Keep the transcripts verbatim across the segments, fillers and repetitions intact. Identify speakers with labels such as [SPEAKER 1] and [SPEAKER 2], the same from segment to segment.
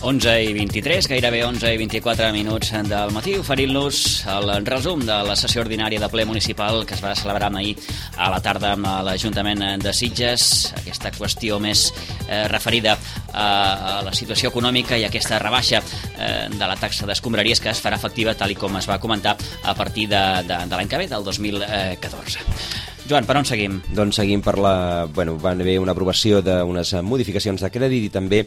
[SPEAKER 1] onze i vint-i-tres, gairebé onze i vint-i-quatre minuts del matí, oferint-los el resum de la sessió ordinària de ple municipal que es va celebrar ahir a la tarda amb l'Ajuntament de Sitges. Aquesta qüestió més eh, referida a, a la situació econòmica i aquesta rebaixa eh, de la taxa d'escombraries que es farà efectiva, tal i com es va comentar, a partir de, de, de l'any que ve, del dos mil catorze. Joan, per on seguim?
[SPEAKER 2] Doncs seguim per la... Bueno, va haver una aprovació d'unes modificacions de crèdit i també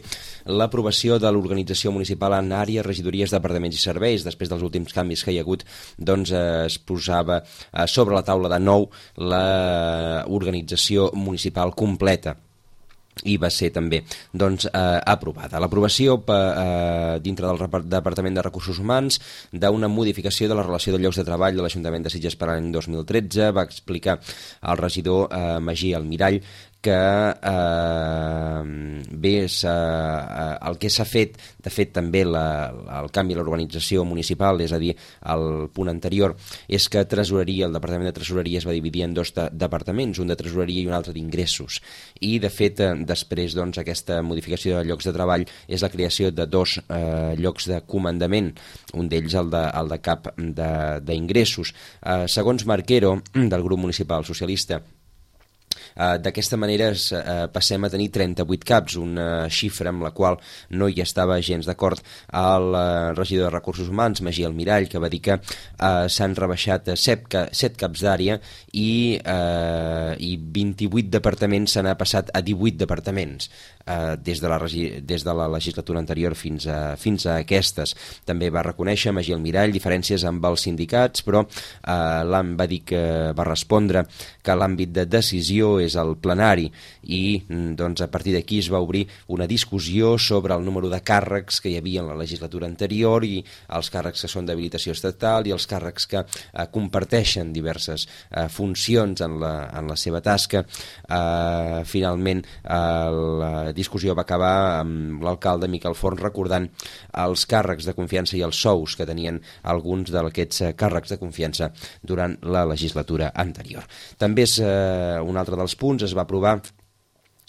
[SPEAKER 2] l'aprovació de l'organització municipal en àrees, regidories, departaments i serveis. Després dels últims canvis que hi ha hagut, doncs es posava sobre la taula de nou l'organització municipal completa i va ser també doncs, eh, aprovada. L'aprovació eh, dintre del Departament de Recursos Humans d'una modificació de la relació de llocs de treball de l'Ajuntament de Sitges per l'any dos mil tretze va explicar el regidor eh, Magí Almirall que eh, bé, eh, el que s'ha fet, de fet també la, el canvi a l'organització municipal, és a dir, el punt anterior, és que tresoreria, el Departament de Tresoreria es va dividir en dos de, departaments, un de tresoreria i un altre d'ingressos, i de fet eh, després doncs, aquesta modificació de llocs de treball és la creació de dos eh, llocs de comandament, un d'ells el de, el de cap d'ingressos. Eh, segons Marquero, del grup municipal socialista, Uh, d'aquesta manera es, uh, passem a tenir trenta-vuit caps, una xifra amb la qual no hi estava gens d'acord el uh, regidor de Recursos Humans, Magí Almirall, que va dir que uh, s'han rebaixat set, set caps d'àrea i, uh, i vint-i-vuit departaments s'han passat a divuit departaments uh, des, de la des de la legislatura anterior fins a, fins a aquestes. També va reconèixer Magí Almirall diferències amb els sindicats, però uh, l'A M va dir que va respondre que l'àmbit de decisió és el plenari i doncs, a partir d'aquí es va obrir una discussió sobre el número de càrrecs que hi havia en la legislatura anterior i els càrrecs que són d'habilitació estatal i els càrrecs que eh, comparteixen diverses eh, funcions en la, en la seva tasca. Eh, finalment eh, la discussió va acabar amb l'alcalde Miquel Forn recordant els càrrecs de confiança i els sous que tenien alguns d'aquests càrrecs de confiança durant la legislatura anterior. També és eh, un altre dels punts, es va aprovar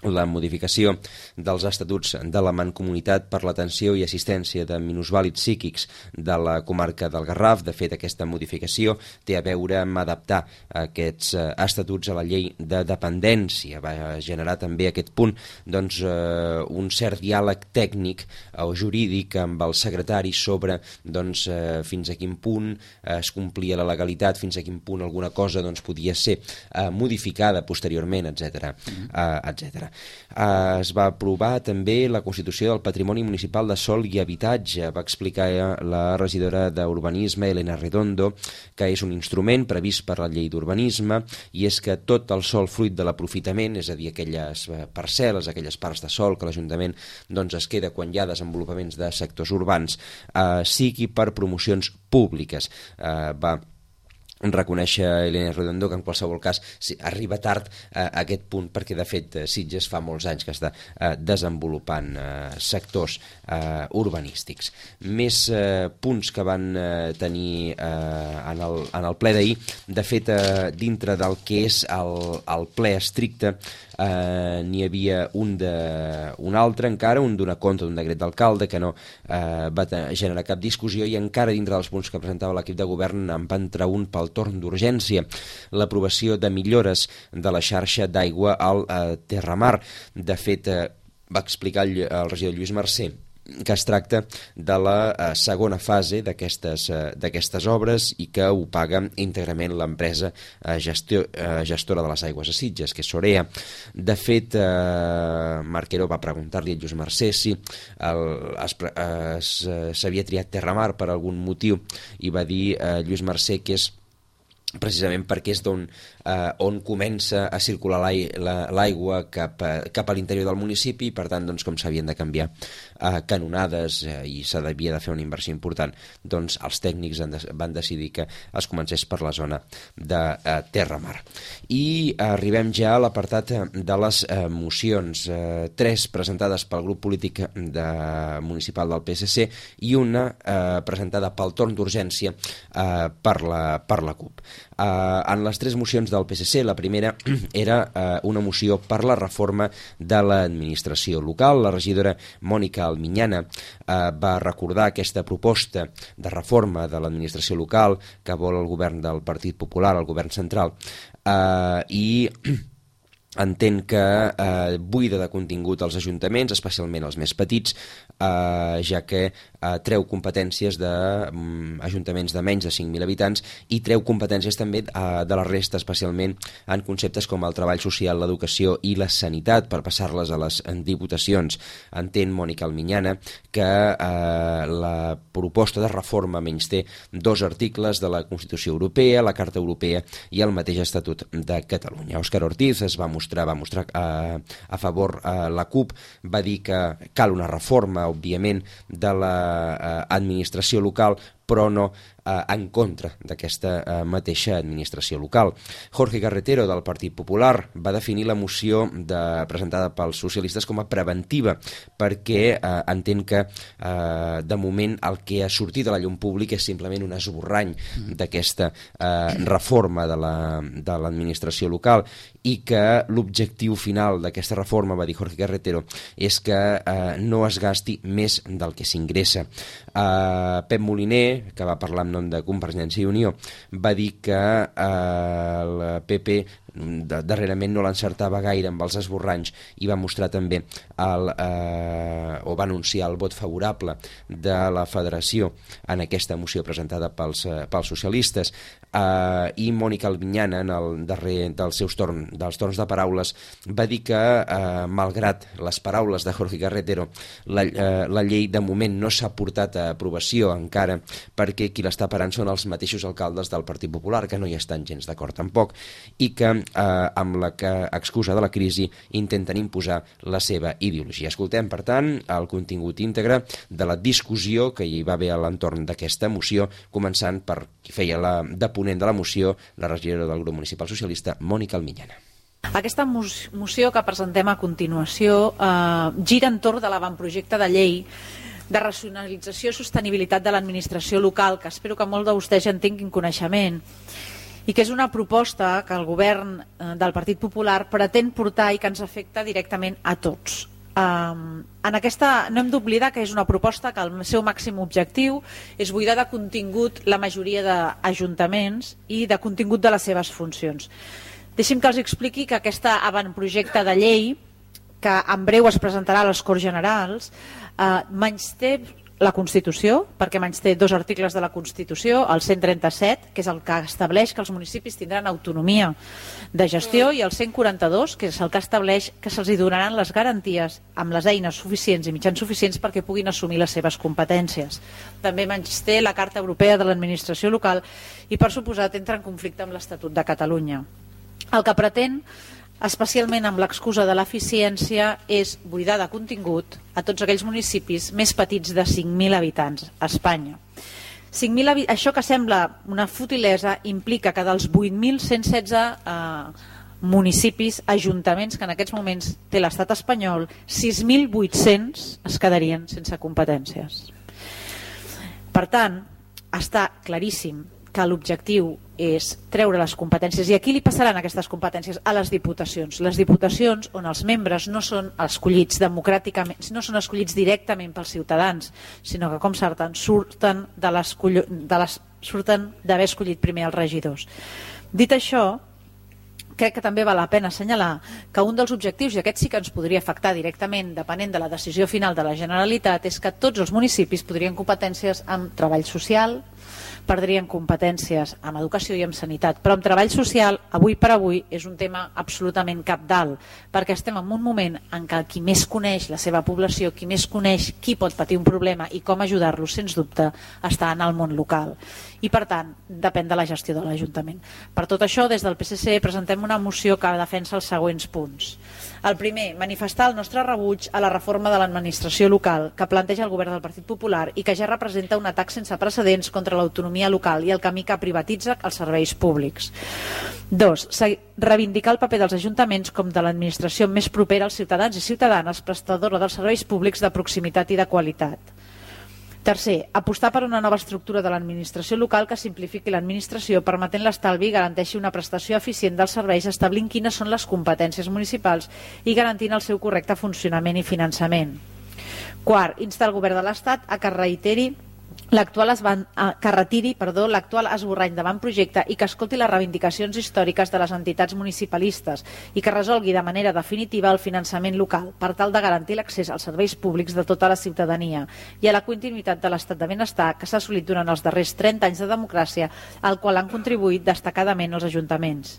[SPEAKER 2] la modificació dels estatuts de la Mancomunitat per l'atenció i assistència de minusvàlids psíquics de la comarca del Garraf. De fet, aquesta modificació té a veure amb adaptar aquests estatuts a la llei de dependència. Va generar també aquest punt doncs, eh, un cert diàleg tècnic o jurídic amb el secretari sobre doncs, eh, fins a quin punt es complia la legalitat, fins a quin punt alguna cosa doncs, podia ser eh, modificada posteriorment, etcètera, mm-hmm. eh, etcètera. Uh, es va aprovar també la Constitució del Patrimoni Municipal de Sòl i Habitatge. Va explicar la regidora d'Urbanisme, Elena Redondo, que és un instrument previst per la llei d'urbanisme i és que tot el sòl fruit de l'aprofitament, és a dir, aquelles parcel·les, aquelles parts de sòl que l'Ajuntament doncs, es queda quan hi ha desenvolupaments de sectors urbans, uh, sigui per promocions públiques. Uh, va reconèixer Elena Redondo que en qualsevol cas sí, arriba tard eh, a aquest punt perquè de fet Sitges fa molts anys que està eh, desenvolupant eh, sectors eh, urbanístics. Més eh, punts que van eh, tenir eh, en, el, en el ple d'ahir, de fet eh, dintre del que és el, el ple estricte eh, n'hi havia un, de, un altre encara, un d'una contra d'un decret d'alcalde que no eh, va generar cap discussió i encara dintre dels punts que presentava l'equip de govern en va entrar un pel torn d'urgència, l'aprovació de millores de la xarxa d'aigua al eh, Terramar. De fet, eh, va explicar el, el regidor Lluís Mercè que es tracta de la eh, segona fase d'aquestes eh, d'aquestes obres i que ho paga íntegrament l'empresa eh, gestio, eh, gestora de les aigües a Sitges, que és Sorea. De fet, eh, Marquero va preguntar-li a Lluís Mercè si s'havia triat Terramar per algun motiu i va dir eh, Lluís Mercè que és precisament perquè és d'on eh, on comença a circular l'aigua cap, a, cap a l'interior del municipi i per tant doncs, com s'havien de canviar eh, canonades eh, i s'havia de fer una inversió important, doncs els tècnics de, van decidir que es comencés per la zona de eh, Terramar. I arribem ja a l'apartat de les eh, mocions, eh, tres presentades pel grup polític de, municipal del P S C i una eh, presentada pel torn d'urgència eh, per la, per la CUP. en les tres mocions del P S C, la primera era eh, una moció per la reforma de l'administració local. La regidora Mònica Alminyana eh, va recordar aquesta proposta de reforma de l'administració local que vol el govern del Partit Popular, el govern central, eh, i entén que eh, buida de contingut els ajuntaments, especialment els més petits, eh, ja que eh, treu competències d'ajuntaments de, um, de menys de cinc mil habitants i treu competències també eh, de la resta, especialment en conceptes com el treball social, l'educació i la sanitat, per passar-les a les diputacions. Entén Mònica Alminyana que eh, la proposta de reforma menysté dos articles de la Constitució Europea, la Carta Europea i el mateix Estatut de Catalunya. Òscar Ortiz es va mostrar, va mostrar eh, a favor eh, la CUP, va dir que cal una reforma, òbviament, de l'administració local, però no eh, en contra d'aquesta eh, mateixa administració local. Jorge Carretero, del Partit Popular, va definir la moció de, presentada pels socialistes com a preventiva, perquè eh, entén que eh, de moment el que ha sortit a la llum pública és simplement un esborrany d'aquesta eh, reforma de l'administració la, local, i que l'objectiu final d'aquesta reforma, va dir Jorge Carretero, és que eh, no es gasti més del que s'ingressa. Eh, Pep Moliner, que va parlar en nom de Convergència i Unió, va dir que eh, el P P darrerament no l'encertava gaire amb els esborranys i va mostrar també el, eh, o va anunciar el vot favorable de la Federació en aquesta moció presentada pels, eh, pels socialistes. Uh, i Mònica Alminyana, en el darrer dels seus torn, dels torns de paraules, va dir que uh, malgrat les paraules de Jorge Carretero, la, uh, la llei de moment no s'ha portat a aprovació encara, perquè qui l'està parant són els mateixos alcaldes del Partit Popular, que no hi estan gens d'acord tampoc, i que uh, amb la que, excusa de la crisi, intenten imposar la seva ideologia. Escoltem, per tant, el contingut íntegre de la discussió que hi va haver a l'entorn d'aquesta moció, començant per qui feia la de ponent de la moció, la regidora del grup municipal socialista, Mònica Alminyana.
[SPEAKER 3] Aquesta moció que presentem a continuació eh, gira entorn de l'avantprojecte de llei de racionalització i sostenibilitat de l'administració local, que espero que molts de vostès ja en tinguin coneixement, i que és una proposta que el govern eh, del Partit Popular pretén portar i que ens afecta directament a tots. Um, en aquesta no hem d'oblidar que és una proposta que el seu màxim objectiu és buidar de contingut la majoria d'ajuntaments i de contingut de les seves funcions. Deixi'm que els expliqui que aquest avantprojecte de llei, que en breu es presentarà a les Corts Generals, eh, menysté la Constitució, perquè menysté dos articles de la Constitució, el cent trenta-set, que és el que estableix que els municipis tindran autonomia de gestió, i el cent quaranta-dos, que és el que estableix que se'ls donaran les garanties amb les eines suficients i mitjans suficients perquè puguin assumir les seves competències. També menysté la Carta Europea de l'Administració Local i, per suposat, entra en conflicte amb l'Estatut de Catalunya. El que pretén, especialment amb l'excusa de l'eficiència, és buidar de contingut a tots aquells municipis més petits de cinc mil habitants a Espanya. cinc mil, això que sembla una futilesa implica que dels vuit mil cent setze eh, municipis, ajuntaments que en aquests moments té l'estat espanyol, sis mil vuit-cents es quedarien sense competències. Per tant, està claríssim que l'objectiu és treure les competències. I a qui li passaran aquestes competències? A les diputacions. Les diputacions on els membres no són escollits democràticament, no són escollits directament pels ciutadans, sinó que, com surten, surten de les, de les, surten d'haver escollit primer els regidors. Dit això, crec que també val la pena assenyalar que un dels objectius, i aquest sí que ens podria afectar directament depenent de la decisió final de la Generalitat, és que tots els municipis podrien competències amb treball social, perdrien competències amb educació i amb sanitat, però amb treball social, avui per avui, és un tema absolutament cabdal, perquè estem en un moment en què qui més coneix la seva població, qui més coneix qui pot patir un problema i com ajudar-los, sens dubte, està en el món local. I, per tant, depèn de la gestió de l'Ajuntament. Per tot això, des del P S C presentem una moció que defensa els següents punts. El primer, manifestar el nostre rebuig a la reforma de l'administració local que planteja el govern del Partit Popular i que ja representa un atac sense precedents contra l'autonomia local i el camí que privatitza els serveis públics. Dos, reivindicar el paper dels ajuntaments com de l'administració més propera als ciutadans i ciutadanes, prestadora dels serveis públics de proximitat i de qualitat. Tercer, apostar per una nova estructura de l'administració local que simplifiqui l'administració, permetent l'estalvi i garanteixi una prestació eficient dels serveis, establint quines són les competències municipals i garantint el seu correcte funcionament i finançament. Quart, insta el govern de l'Estat a que reiteri l'actual esban, que retiri perdó, l'actual esborrany d'avantprojecte i que escolti les reivindicacions històriques de les entitats municipalistes i que resolgui de manera definitiva el finançament local per tal de garantir l'accés als serveis públics de tota la ciutadania i a la continuïtat de l'estat de benestar que s'ha assolit durant els darrers trenta anys de democràcia, al qual han contribuït destacadament els ajuntaments.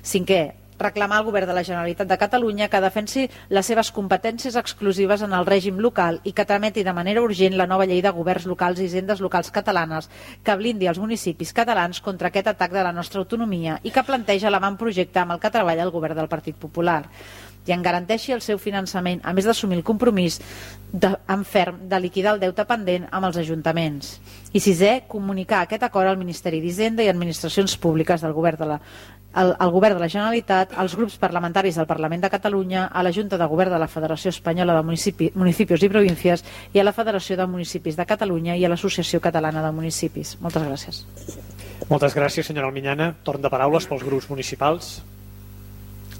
[SPEAKER 3] Cinquè, reclamar al govern de la Generalitat de Catalunya que defensi les seves competències exclusives en el règim local i que trameti de manera urgent la nova llei de governs locals i hisendes locals catalanes que blindi els municipis catalans contra aquest atac de la nostra autonomia i que planteja l'avantprojecte amb el que treballa el govern del Partit Popular i en garanteixi el seu finançament, a més d'assumir el compromís de, en ferm de liquidar el deute pendent amb els ajuntaments. I sisè, comunicar aquest acord al Ministeri d'Hisenda i Administracions Públiques del govern de la El, el Govern de la Generalitat, als grups parlamentaris del Parlament de Catalunya, a la Junta de Govern de la Federació Espanyola de Municipi, Municipis i Províncies i a la Federació de Municipis de Catalunya i a l'Associació Catalana de Municipis. Moltes gràcies.
[SPEAKER 4] Moltes gràcies, senyora Almiñana. Torn de paraules pels grups municipals.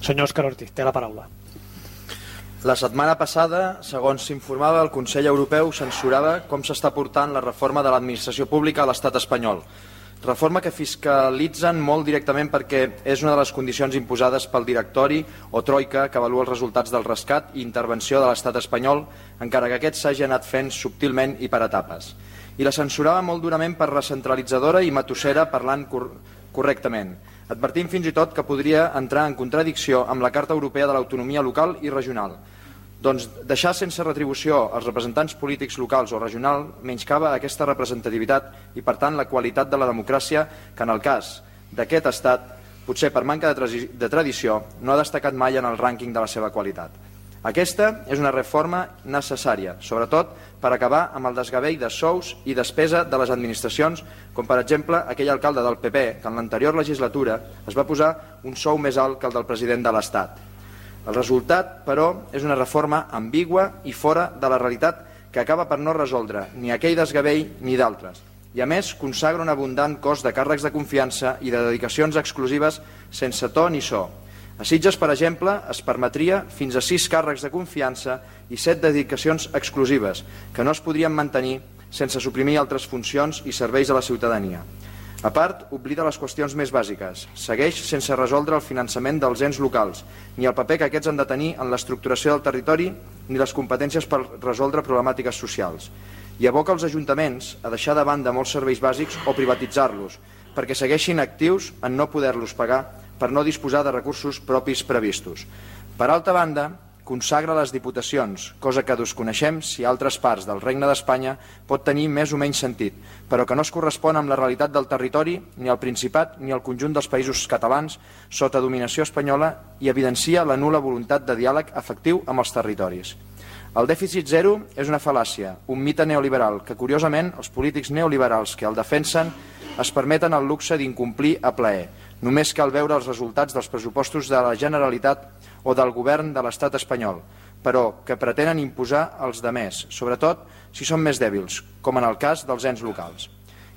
[SPEAKER 4] Senyor Òscar Ortiz, té la paraula.
[SPEAKER 5] La setmana passada, segons s'informava, el Consell Europeu censurava com s'està portant la reforma de l'administració pública a l'estat espanyol. Reforma que fiscalitzen molt directament perquè és una de les condicions imposades pel directori o troika que avalua els resultats del rescat i intervenció de l'estat espanyol, encara que aquest s'hagi anat fent subtilment i per etapes. I la censurava molt durament per recentralitzadora i matossera parlant cor correctament, advertint fins i tot que podria entrar en contradicció amb la Carta Europea de l'Autonomia Local i Regional. Doncs deixar sense retribució els representants polítics locals o regional menyscava aquesta representativitat i, per tant, la qualitat de la democràcia que, en el cas d'aquest estat, potser per manca de tradició, no ha destacat mai en el rànquing de la seva qualitat. Aquesta és una reforma necessària, sobretot per acabar amb el desgavell de sous i despesa de les administracions, com per exemple aquell alcalde del P P que en l'anterior legislatura es va posar un sou més alt que el del president de l'Estat. El resultat, però, és una reforma ambigua i fora de la realitat que acaba per no resoldre ni aquell desgavell ni d'altres. I a més consagra un abundant cos de càrrecs de confiança i de dedicacions exclusives sense to ni so. A Sitges, per exemple, es permetria fins a sis càrrecs de confiança i set dedicacions exclusives que no es podrien mantenir sense suprimir altres funcions i serveis a la ciutadania. A part, oblida les qüestions més bàsiques. Segueix sense resoldre el finançament dels ens locals, ni el paper que aquests han de tenir en l'estructuració del territori, ni les competències per resoldre problemàtiques socials. I aboca els ajuntaments a deixar de banda molts serveis bàsics o privatitzar-los, perquè segueixin actius en no poder-los pagar per no disposar de recursos propis previstos. Per altra banda, consagra les diputacions, cosa que desconeixem si a altres parts del Regne d'Espanya pot tenir més o menys sentit, però que no es correspon amb la realitat del territori, ni al Principat ni al conjunt dels països catalans sota dominació espanyola i evidencia la nul·la voluntat de diàleg efectiu amb els territoris. El dèficit zero és una fal·làcia, un mite neoliberal que, curiosament, els polítics neoliberals que el defensen es permeten el luxe d'incomplir a plaer. Només cal veure els resultats dels pressupostos de la Generalitat o del govern de l'estat espanyol, però que pretenen imposar als demés, sobretot si són més dèbils, com en el cas dels ens locals.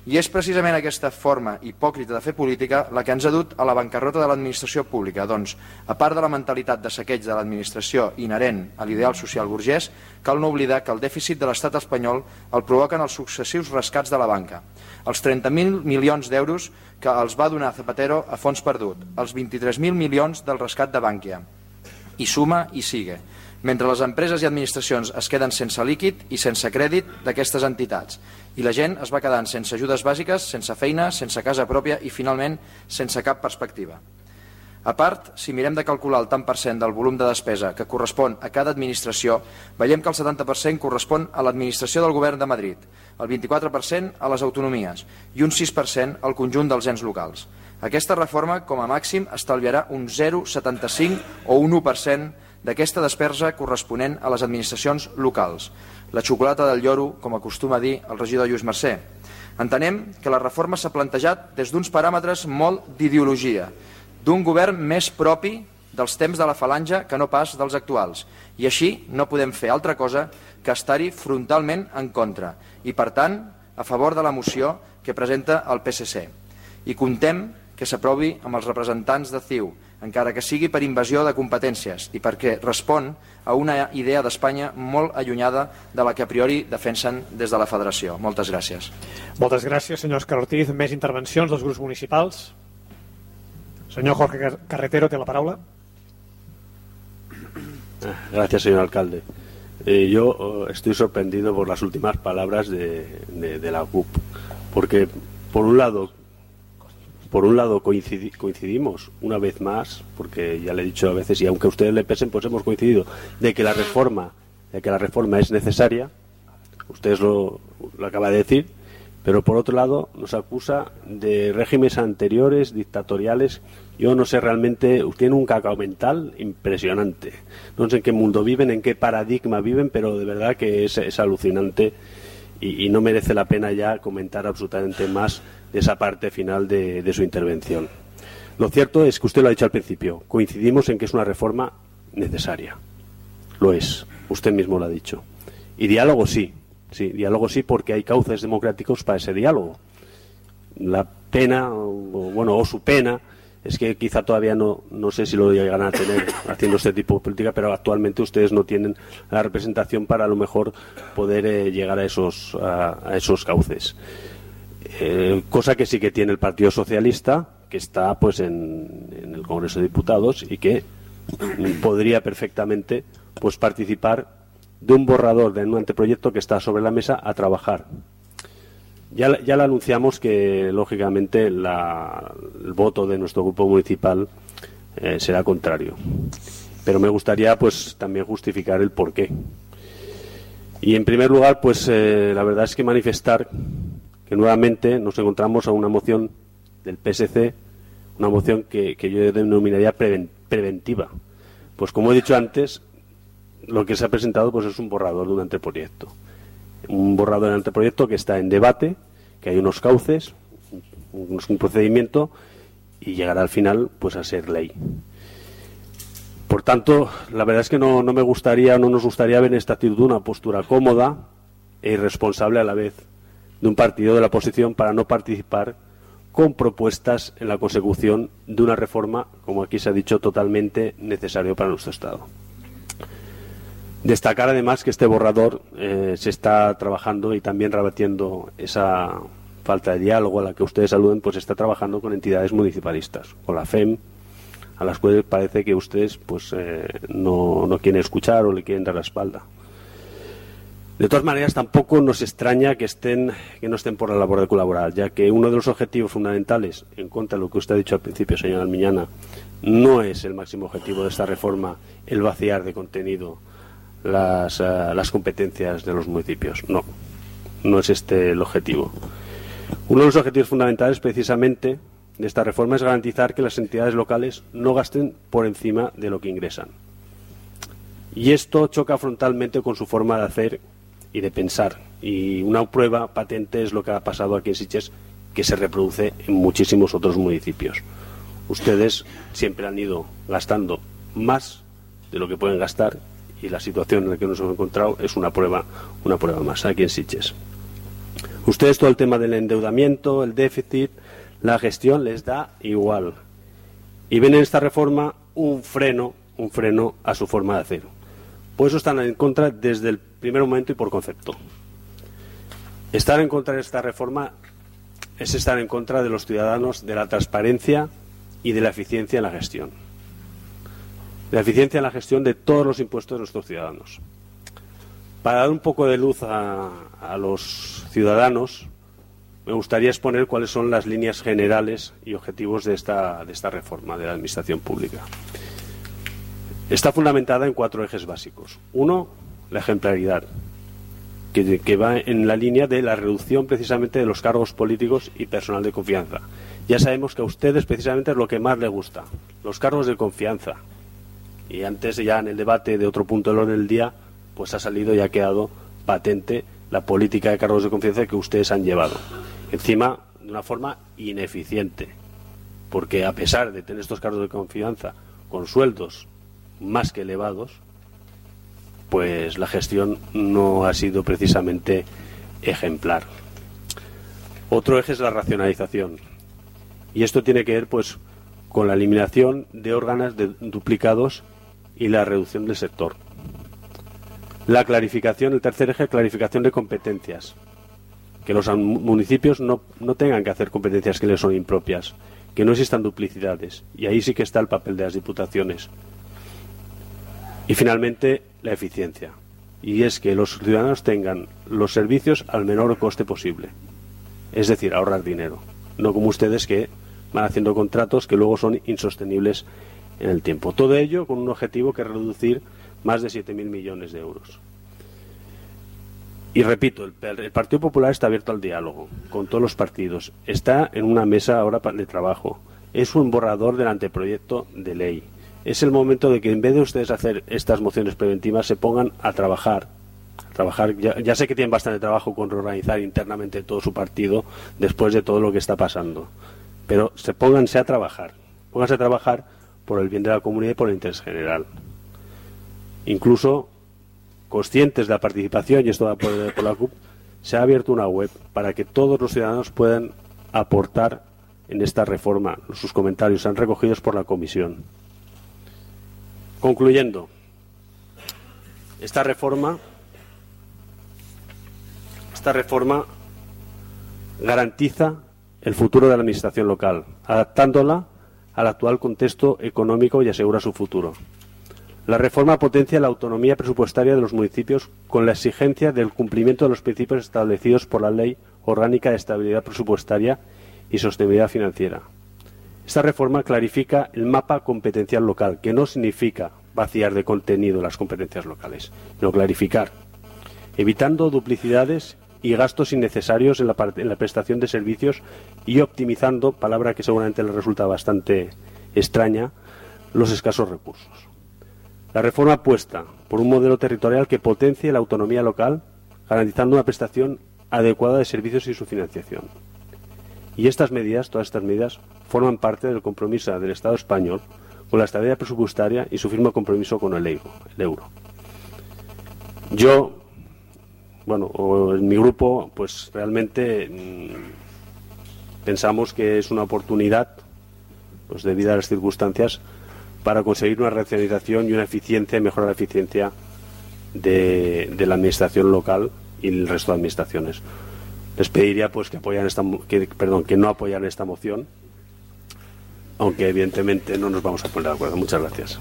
[SPEAKER 5] I és precisament aquesta forma hipòcrita de fer política la que ens ha dut a la bancarrota de l'administració pública. Doncs, a part de la mentalitat de saqueig de l'administració inherent a l'ideal social burgès, cal no oblidar que el dèficit de l'estat espanyol el provoquen els successius rescats de la banca. Els trenta mil milions d'euros que els va donar Zapatero a fons perdut, els vint-i-tres mil milions del rescat de Bankia. I suma i sigue, mentre les empreses i administracions es queden sense líquid i sense crèdit d'aquestes entitats, i la gent es va quedant sense ajudes bàsiques, sense feina, sense casa pròpia i, finalment, sense cap perspectiva. A part, si mirem de calcular el tant per cent del volum de despesa que correspon a cada administració, veiem que el setanta per cent correspon a l'administració del govern de Madrid, el vint-i-quatre per cent a les autonomies i un sis per cent al conjunt dels ens locals. Aquesta reforma, com a màxim, estalviarà un zero coma setanta-cinc o un u per cent d'aquesta despesa corresponent a les administracions locals. La xocolata del lloro, com acostuma a dir el regidor Lluís Mercè. Entenem que la reforma s'ha plantejat des d'uns paràmetres molt d'ideologia, d'un govern més propi dels temps de la falange que no pas dels actuals, i així no podem fer altra cosa que estar-hi frontalment en contra i, per tant, a favor de la moció que presenta el P S C. I comptem que s'aprovi amb els representants de C I U, encara que sigui per invasió de competències i perquè respon a una idea d'Espanya molt allunyada de la que a priori defensen des de la Federació. Moltes gràcies.
[SPEAKER 4] Moltes gràcies, senyor Òscar Ortiz. Més intervencions dels grups municipals? Senyor Jorge Carretero, té la paraula.
[SPEAKER 6] Gracias, señor alcalde. Eh, yo eh, estoy sorprendido por las últimas palabras de, de, de la C U P, porque por un lado por un lado coincidi, coincidimos una vez más, porque ya le he dicho a veces, y aunque a ustedes le pesen, pues hemos coincidido de que la reforma de que la reforma es necesaria. Ustedes lo, lo acaba de decir, pero por otro lado nos acusa de regímenes anteriores, dictatoriales. Yo no sé realmente, tienen un cacao mental impresionante. No sé en qué mundo viven, en qué paradigma viven, pero de verdad que es, es alucinante y, y no merece la pena ya comentar absolutamente más de esa parte final de, de su intervención. Lo cierto es que usted lo ha dicho al principio, coincidimos en que es una reforma necesaria. Lo es, usted mismo lo ha dicho. Y diálogo sí, sí, diálogo sí, porque hay cauces democráticos para ese diálogo. La pena, o, bueno, o su pena, es que quizá todavía no, no sé si lo llegan a tener haciendo este tipo de política, pero actualmente ustedes no tienen la representación para a lo mejor poder eh, llegar a esos, a, a esos cauces. Eh, cosa que sí que tiene el Partido Socialista, que está pues en, en el Congreso de Diputados y que podría perfectamente pues participar de un borrador de un anteproyecto que está sobre la mesa a trabajar. Ya, ya le anunciamos que, lógicamente, la, el voto de nuestro grupo municipal eh, será contrario. Pero me gustaría, pues, también justificar el porqué. Y, en primer lugar, pues, eh, la verdad es que manifestar que nuevamente nos encontramos a una moción del P S C, una moción que, que yo denominaría preven, preventiva. Pues, como he dicho antes, lo que se ha presentado pues es un borrador de un anteproyecto. Un borrador de anteproyecto que está en debate, que hay unos cauces, un, un procedimiento y llegará al final pues a ser ley. Por tanto, la verdad es que no, no me gustaría, no nos gustaría ver en esta actitud una postura cómoda e irresponsable a la vez de un partido de la oposición para no participar con propuestas en la consecución de una reforma, como aquí se ha dicho, totalmente necesario para nuestro Estado. Destacar además que este borrador eh, se está trabajando y también rebatiendo esa falta de diálogo a la que ustedes aluden, pues está trabajando con entidades municipalistas, con la F E M, a las cuales parece que ustedes pues eh, no, no quieren escuchar o le quieren dar la espalda. De todas maneras, tampoco nos extraña que estén que no estén por la labor de colaborar, ya que uno de los objetivos fundamentales, en contra de lo que usted ha dicho al principio, señor Almiñana, no es el máximo objetivo de esta reforma el vaciar de contenido Las, uh, las competencias de los municipios. No, no es este el objetivo. Uno de los objetivos fundamentales precisamente de esta reforma es garantizar que las entidades locales no gasten por encima de lo que ingresan. Y esto choca frontalmente con su forma de hacer y de pensar. Y una prueba patente es lo que ha pasado aquí en Sitges, que se reproduce en muchísimos otros municipios. Ustedes siempre han ido gastando más de lo que pueden gastar, y la situación en la que nos hemos encontrado es una prueba, una prueba más aquí en Sitges. Ustedes todo el tema del endeudamiento, el déficit, la gestión les da igual. Y ven en esta reforma un freno, un freno a su forma de hacer. Por eso están en contra desde el primer momento y por concepto. Estar en contra de esta reforma es estar en contra de los ciudadanos, de la transparencia y de la eficiencia en la gestión. De la eficiencia en la gestión de todos los impuestos de nuestros ciudadanos. Para dar un poco de luz a, a los ciudadanos, me gustaría exponer cuáles son las líneas generales y objetivos de esta, de esta reforma de la Administración Pública. Está fundamentada en cuatro ejes básicos. Uno, la ejemplaridad, que, que va en la línea de la reducción precisamente de los cargos políticos y personal de confianza. Ya sabemos que a ustedes precisamente es lo que más les gusta, los cargos de confianza. Y antes, ya en el debate de otro punto del orden del día, pues ha salido y ha quedado patente la política de cargos de confianza que ustedes han llevado. Encima, de una forma ineficiente. Porque a pesar de tener estos cargos de confianza con sueldos más que elevados, pues la gestión no ha sido precisamente ejemplar. Otro eje es la racionalización, y esto tiene que ver pues con la eliminación de órganos de duplicados y la reducción del sector. La clarificación, el tercer eje, clarificación de competencias, que los municipios no, no tengan que hacer competencias que les son impropias, que no existan duplicidades, y ahí sí que está el papel de las diputaciones. Y finalmente, la eficiencia, y es que los ciudadanos tengan los servicios al menor coste posible, es decir, ahorrar dinero, no como ustedes que van haciendo contratos que luego son insostenibles en el tiempo. Todo ello con un objetivo que es reducir más de siete mil millones de euros. Y repito, el, el Partido Popular está abierto al diálogo con todos los partidos. Está en una mesa ahora de trabajo. Es un borrador del anteproyecto de ley. Es el momento de que en vez de ustedes hacer estas mociones preventivas se pongan a trabajar. A trabajar. Ya, ya sé que tienen bastante trabajo con reorganizar internamente todo su partido después de todo lo que está pasando. Pero se pónganse a trabajar. Pónganse a trabajar por el bien de la comunidad y por el interés general. Incluso conscientes de la participación, y esto va por, por la C U P, se ha abierto una web para que todos los ciudadanos puedan aportar en esta reforma. Sus comentarios sean recogidos por la comisión. Concluyendo, esta reforma, esta reforma garantiza el futuro de la administración local, adaptándola al actual contexto económico y asegura su futuro. La reforma potencia la autonomía presupuestaria de los municipios con la exigencia del cumplimiento de los principios establecidos por la Ley Orgánica de Estabilidad Presupuestaria y Sostenibilidad Financiera. Esta reforma clarifica el mapa competencial local, que no significa vaciar de contenido las competencias locales, sino clarificar, evitando duplicidades y gastos innecesarios en la, en la prestación de servicios y optimizando, palabra que seguramente les resulta bastante extraña, los escasos recursos. La reforma apuesta por un modelo territorial que potencie la autonomía local, garantizando una prestación adecuada de servicios y su financiación. Y estas medidas, todas estas medidas, forman parte del compromiso del Estado español con la estabilidad presupuestaria y su firme compromiso con el euro. El euro. Yo, bueno, o en mi grupo, pues realmente mmm, pensamos que es una oportunidad, pues debido a las circunstancias, para conseguir una racionalización y una eficiencia y mejorar la eficiencia de, de la administración local y el resto de administraciones. Les pediría pues que apoyan esta que, perdón, que no apoyan esta moción, aunque evidentemente no nos vamos a poner de acuerdo. Muchas gracias.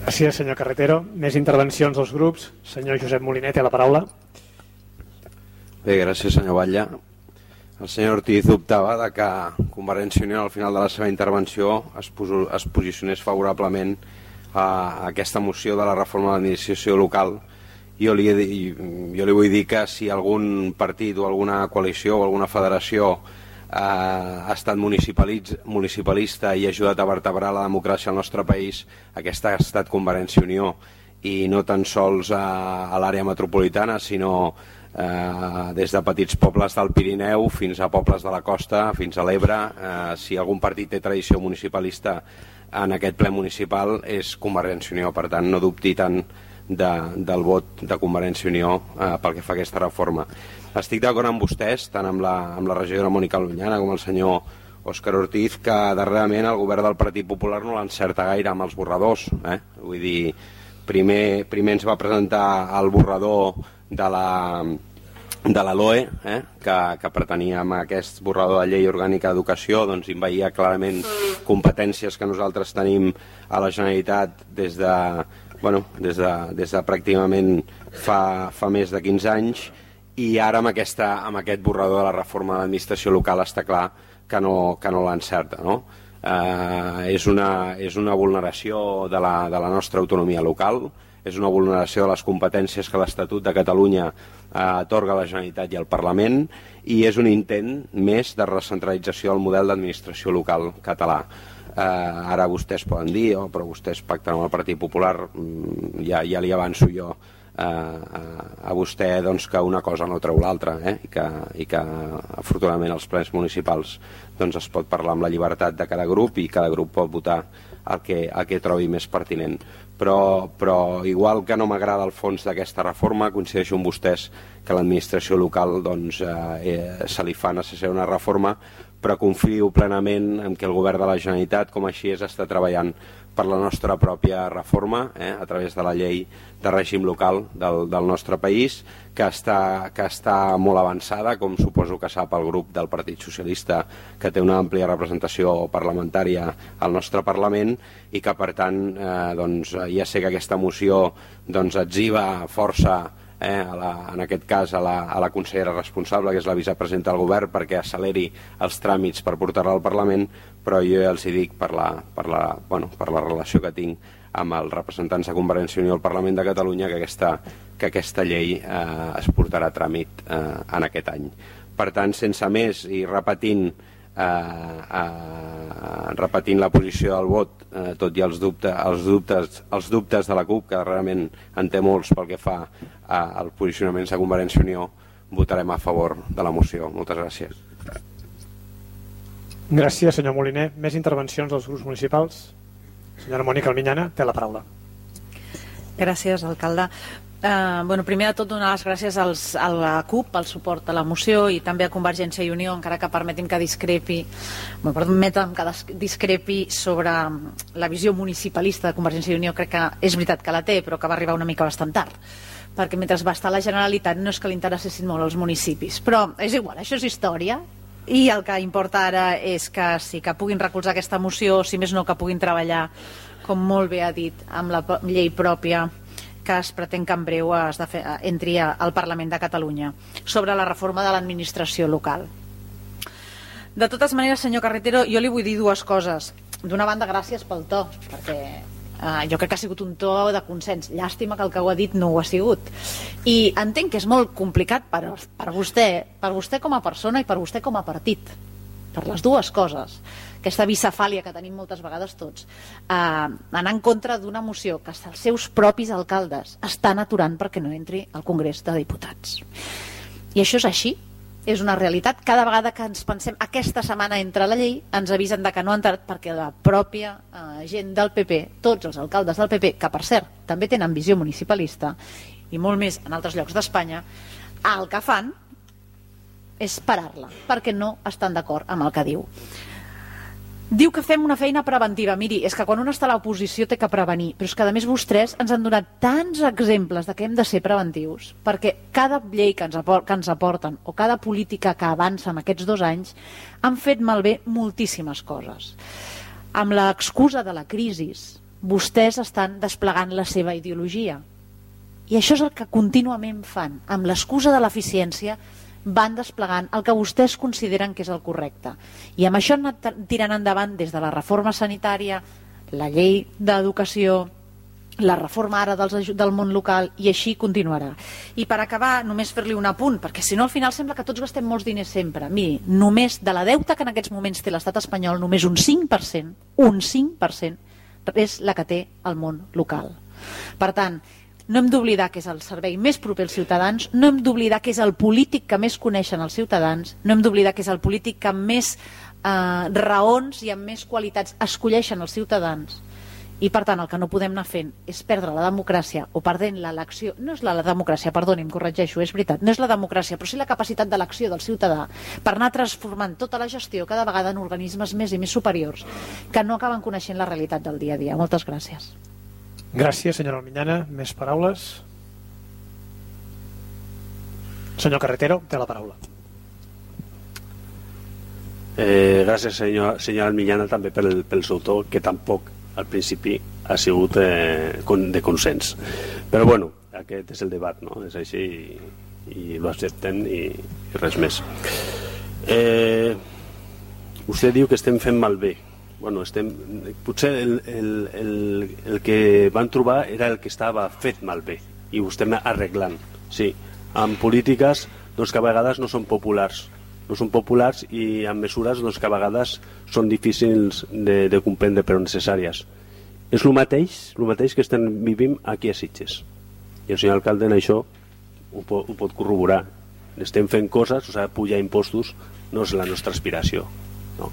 [SPEAKER 4] Gràcies, senyor Carretero. Més intervencions dels grups. Senyor Josep Molinet, té la paraula.
[SPEAKER 2] Bé, gràcies, senyor Batlle. El senyor Ortiz dubtava de que Convergència i Unió al final de la seva intervenció es, poso, es posicionés favorablement a aquesta moció de la reforma de l'administració local. Jo li, jo li vull dir que si algun partit o alguna coalició o alguna federació eh, ha estat municipalista i ha ajudat a vertebrar la democràcia al nostre país, aquesta ha estat Convergència i Unió, i no tan sols a, a l'àrea metropolitana, sinó Eh, des de petits pobles del Pirineu fins a pobles de la costa, fins a l'Ebre. Eh, si algun partit té tradició municipalista en aquest ple municipal és Convergència i Unió, per tant no dubti tant de, del vot de Convergència i Unió eh, pel que fa a aquesta reforma. Estic d'acord amb vostès, tant amb la, amb la regidora Mònica Lunyana com el senyor Òscar Ortiz, que darrerament el govern del Partit Popular no l'encerta gaire amb els borradors. Eh? Vull dir, primer, primer ens va presentar el borrador de la, de la L O E, eh, que, que pretenia amb aquest borrador de llei orgànica d'educació doncs envaïa clarament competències que nosaltres tenim a la Generalitat des de, bueno, des de, des de pràcticament fa, fa més de quinze anys, i ara amb, aquesta, amb aquest borrador de la reforma de l'administració local està clar que no, que no l'encerta, no? Eh, és, una, és una vulneració de la, de la nostra autonomia local, és una vulneració de les competències que l'Estatut de Catalunya eh, atorga a la Generalitat i al Parlament, i és un intent més de recentralització del model d'administració local català. Eh, ara vostès poden dir, oh, però vostès pacten amb el Partit Popular, mm, ja, ja li avanço jo a, a vostè doncs, que una cosa no treu l'altra, eh? I, que, i que afortunadament als plens municipals doncs, es pot parlar amb la llibertat de cada grup i cada grup pot votar el que, el que trobi més pertinent. Però, però igual que no m'agrada el fons d'aquesta reforma, coincideixo amb vostès que l'administració local doncs, eh, se li fa necessària una reforma, però confio plenament en que el govern de la Generalitat, com així és, està treballant per la nostra pròpia reforma, eh, a través de la llei de règim local del, del nostre país, que està, que està molt avançada, com suposo que sap el grup del Partit Socialista, que té una àmplia representació parlamentària al nostre Parlament, i que per tant eh, doncs, ja sé que aquesta moció doncs, etziba força eh, a la, en aquest cas a la, a la consellera responsable, que és la vicepresidenta del govern, perquè acceleri els tràmits per portar-la al Parlament, però jo ja els hi dic per la, per la, bueno, per la relació que tinc amb els representants de Convergència i Unió al Parlament de Catalunya, que aquesta, que aquesta llei eh, es portarà a tràmit eh, en aquest any. Per tant, sense més i repetint eh, eh, repetint la posició del vot, eh, tot i els, dubte, els, dubtes, els dubtes de la CUP, que realment en té molts pel que fa eh, al posicionament de Convergència i Unió, votarem a favor de la moció. Moltes gràcies.
[SPEAKER 4] Gràcies, senyor Moliner. Més intervencions dels grups municipals? Senyora Mònica Almiñana, té la paraula.
[SPEAKER 3] Gràcies, alcalde. Uh, bueno, primer de tot, donar les gràcies als, a la CUP pel suport a la moció i també a Convergència i Unió, encara que permetin que discrepi, bueno, permetem que discrepi sobre la visió municipalista de Convergència i Unió. Crec que és veritat que la té, però que va arribar una mica bastant tard, perquè mentre va estar a la Generalitat no és que li interessessin molt els municipis, però és igual, això és història. I el que importa ara és que sí que puguin recolzar aquesta moció, si més no que puguin treballar, com molt bé ha dit, amb la llei pròpia que es pretén que en breu es de fer, entri al Parlament de Catalunya sobre la reforma de l'administració local. De totes maneres, senyor Carretero, jo li vull dir dues coses. D'una banda, gràcies pel to, perquè Uh, jo crec que ha sigut un to de consens. Llàstima que el que ho ha dit no ho ha sigut. I entenc que és molt complicat per, per vostè, per vostè com a persona i per vostè com a partit, per les dues coses, aquesta bicefàlia que tenim moltes vegades tots, uh, anar en contra d'una moció que els seus propis alcaldes estan aturant perquè no entri al Congrés de Diputats. I això és així. És una realitat. Cada vegada que ens pensem aquesta setmana entra la llei, ens avisen de que no ha entrat perquè la pròpia eh, gent del P P, tots els alcaldes del P P, que per cert també tenen visió municipalista i molt més en altres llocs d'Espanya, el que fan és parar-la perquè no estan d'acord amb el que diu. Diu que fem una feina preventiva. Miri, és que quan un està a l'oposició té que prevenir, però és que a més vostès ens han donat tants exemples de que hem de ser preventius, perquè cada llei que ens, apor que ens aporten o cada política que avança en aquests dos anys han fet malbé moltíssimes coses. Amb l'excusa de la crisi, vostès estan desplegant la seva ideologia. I això és el que contínuament fan. Amb l'excusa de l'eficiència van desplegant el que vostès consideren que és el correcte. I amb això han anat tirant endavant des de la reforma sanitària, la llei d'educació, la reforma ara dels, del món local, i així continuarà. I per acabar, només fer-li un apunt, perquè si no al final sembla que tots gastem molts diners sempre. Miri, només de la deuta que en aquests moments té l'estat espanyol, només un cinc per cent, un cinc per cent és la que té el món local. Per tant, no hem d'oblidar que és el servei més proper als ciutadans, no hem d'oblidar que és el polític que més coneixen els ciutadans, no hem d'oblidar que és el polític que amb més eh, raons i amb més qualitats escolleixen els ciutadans. I per tant el que no podem anar fent és perdre la democràcia o perdent l'elecció. No és la, la democràcia, perdoni, em corregeixo, és veritat, no és la democràcia, però sí la capacitat d'elecció del ciutadà per anar transformant tota la gestió cada vegada en organismes més i més superiors que no acaben coneixent la realitat del dia a dia. Moltes gràcies.
[SPEAKER 4] Gràcies, senyora Almiñana. Més paraules? Senyor Carretero, té la paraula.
[SPEAKER 6] Eh, gràcies, senyor, senyor Almiñana, també pel, pel seu to, que tampoc al principi ha sigut eh, de consens. Però bueno, aquest és el debat, no? És així i, i lo acceptem i, i res més. Eh, vostè diu que estem fent malbé. Bueno, estem, potser el, el, el, el que van trobar era el que estava fet malbé i ho estem arreglant. Sí, amb polítiques doncs, que a vegades no són populars no són populars i amb mesures doncs, que a vegades són difícils de, de comprendre però necessàries. És el mateix, el mateix que estem vivint aquí a Sitges. I el senyor alcalde en això ho pot, ho pot corroborar. Estem fent coses, o sigui, pujar impostos no és la nostra aspiració, no.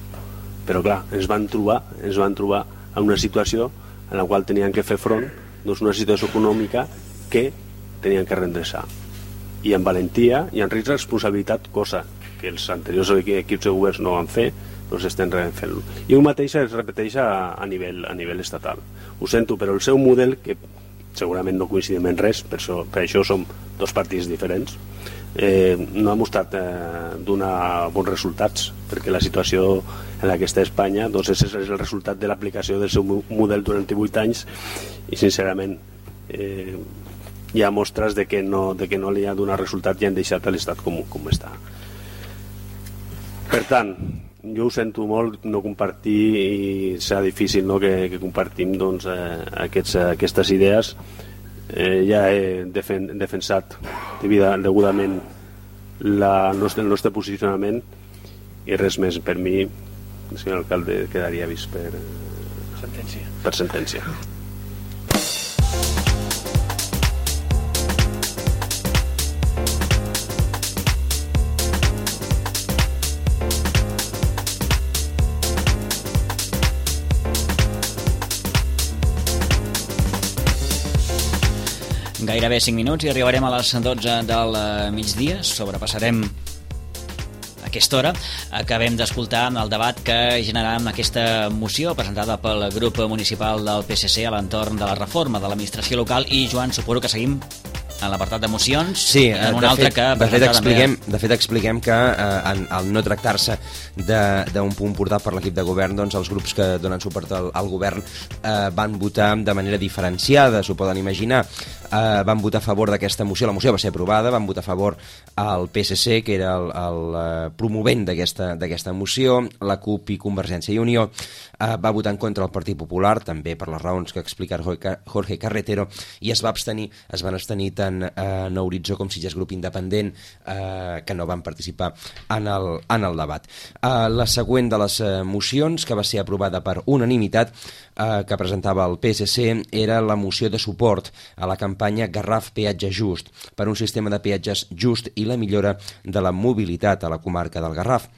[SPEAKER 6] Però clar, ens van trobar ens van trobar en una situació en la qual tenien que fer front, doncs, una situació econòmica que tenien que redreçar, i amb valentia i amb risc de responsabilitat, cosa que els anteriors equips de governs no van fer, doncs estem fent-lo. I el mateix es repeteix a, a, nivell, a nivell estatal. Ho sento, però el seu model, que segurament no coincidim en res, per això, per això som dos partits diferents, eh, no ha mostrat eh, donar bons resultats, perquè la situació en la que està Espanya, doncs és el resultat de l'aplicació del seu model durant divuit anys, i sincerament eh, hi ha mostres de que no, de que no li ha donat resultat i han deixat l'estat com, com està. Per tant, jo ho sento molt no compartir, i serà difícil, no, que, que compartim, doncs, eh, aquests, aquestes idees. Eh, ja he defen, defensat degudament la nostre, el nostre posicionament, i res més. Per mi, el senyor alcalde quedaria vist per sentència. Per sentència.
[SPEAKER 1] Gairebé cinc minuts i arribarem a les dotze del migdia. Sobrepassarem aquesta hora. Acabem d'escoltar el debat que generarà aquesta moció presentada pel grup municipal del P S C a l'entorn de la reforma de l'administració local. I, Joan, suposo que seguim en l'apartat de mocions,
[SPEAKER 2] sí,
[SPEAKER 1] en una
[SPEAKER 2] de
[SPEAKER 1] altra
[SPEAKER 2] fet,
[SPEAKER 1] que
[SPEAKER 2] de fet, expliquem,
[SPEAKER 1] també...
[SPEAKER 2] de fet expliquem que eh, en, al no tractar-se d'un punt portat per l'equip de govern, doncs els grups que donen suport al, al govern eh, van votar de manera diferenciada, s'ho poden imaginar. Eh, van votar a favor d'aquesta moció, la moció va ser aprovada, van votar a favor al P S C, que era el, el promovent d'aquesta d'aquesta moció, la CUP i Convergència i Unió, eh, va votar en contra el Partit Popular, també per les raons que explica Jorge Carretero, i es va abstenir, es van abstenir tant eh, No Horitzó com Sitges Grup Independent, eh, que no van participar en el, en el debat. Eh, la següent de les eh, mocions, que va ser aprovada per unanimitat, eh, que presentava el P S C, era la moció de suport a la campanya Garraf Peatge Just, per un sistema de peatges just i la millora de la mobilitat a la comarca del Garraf.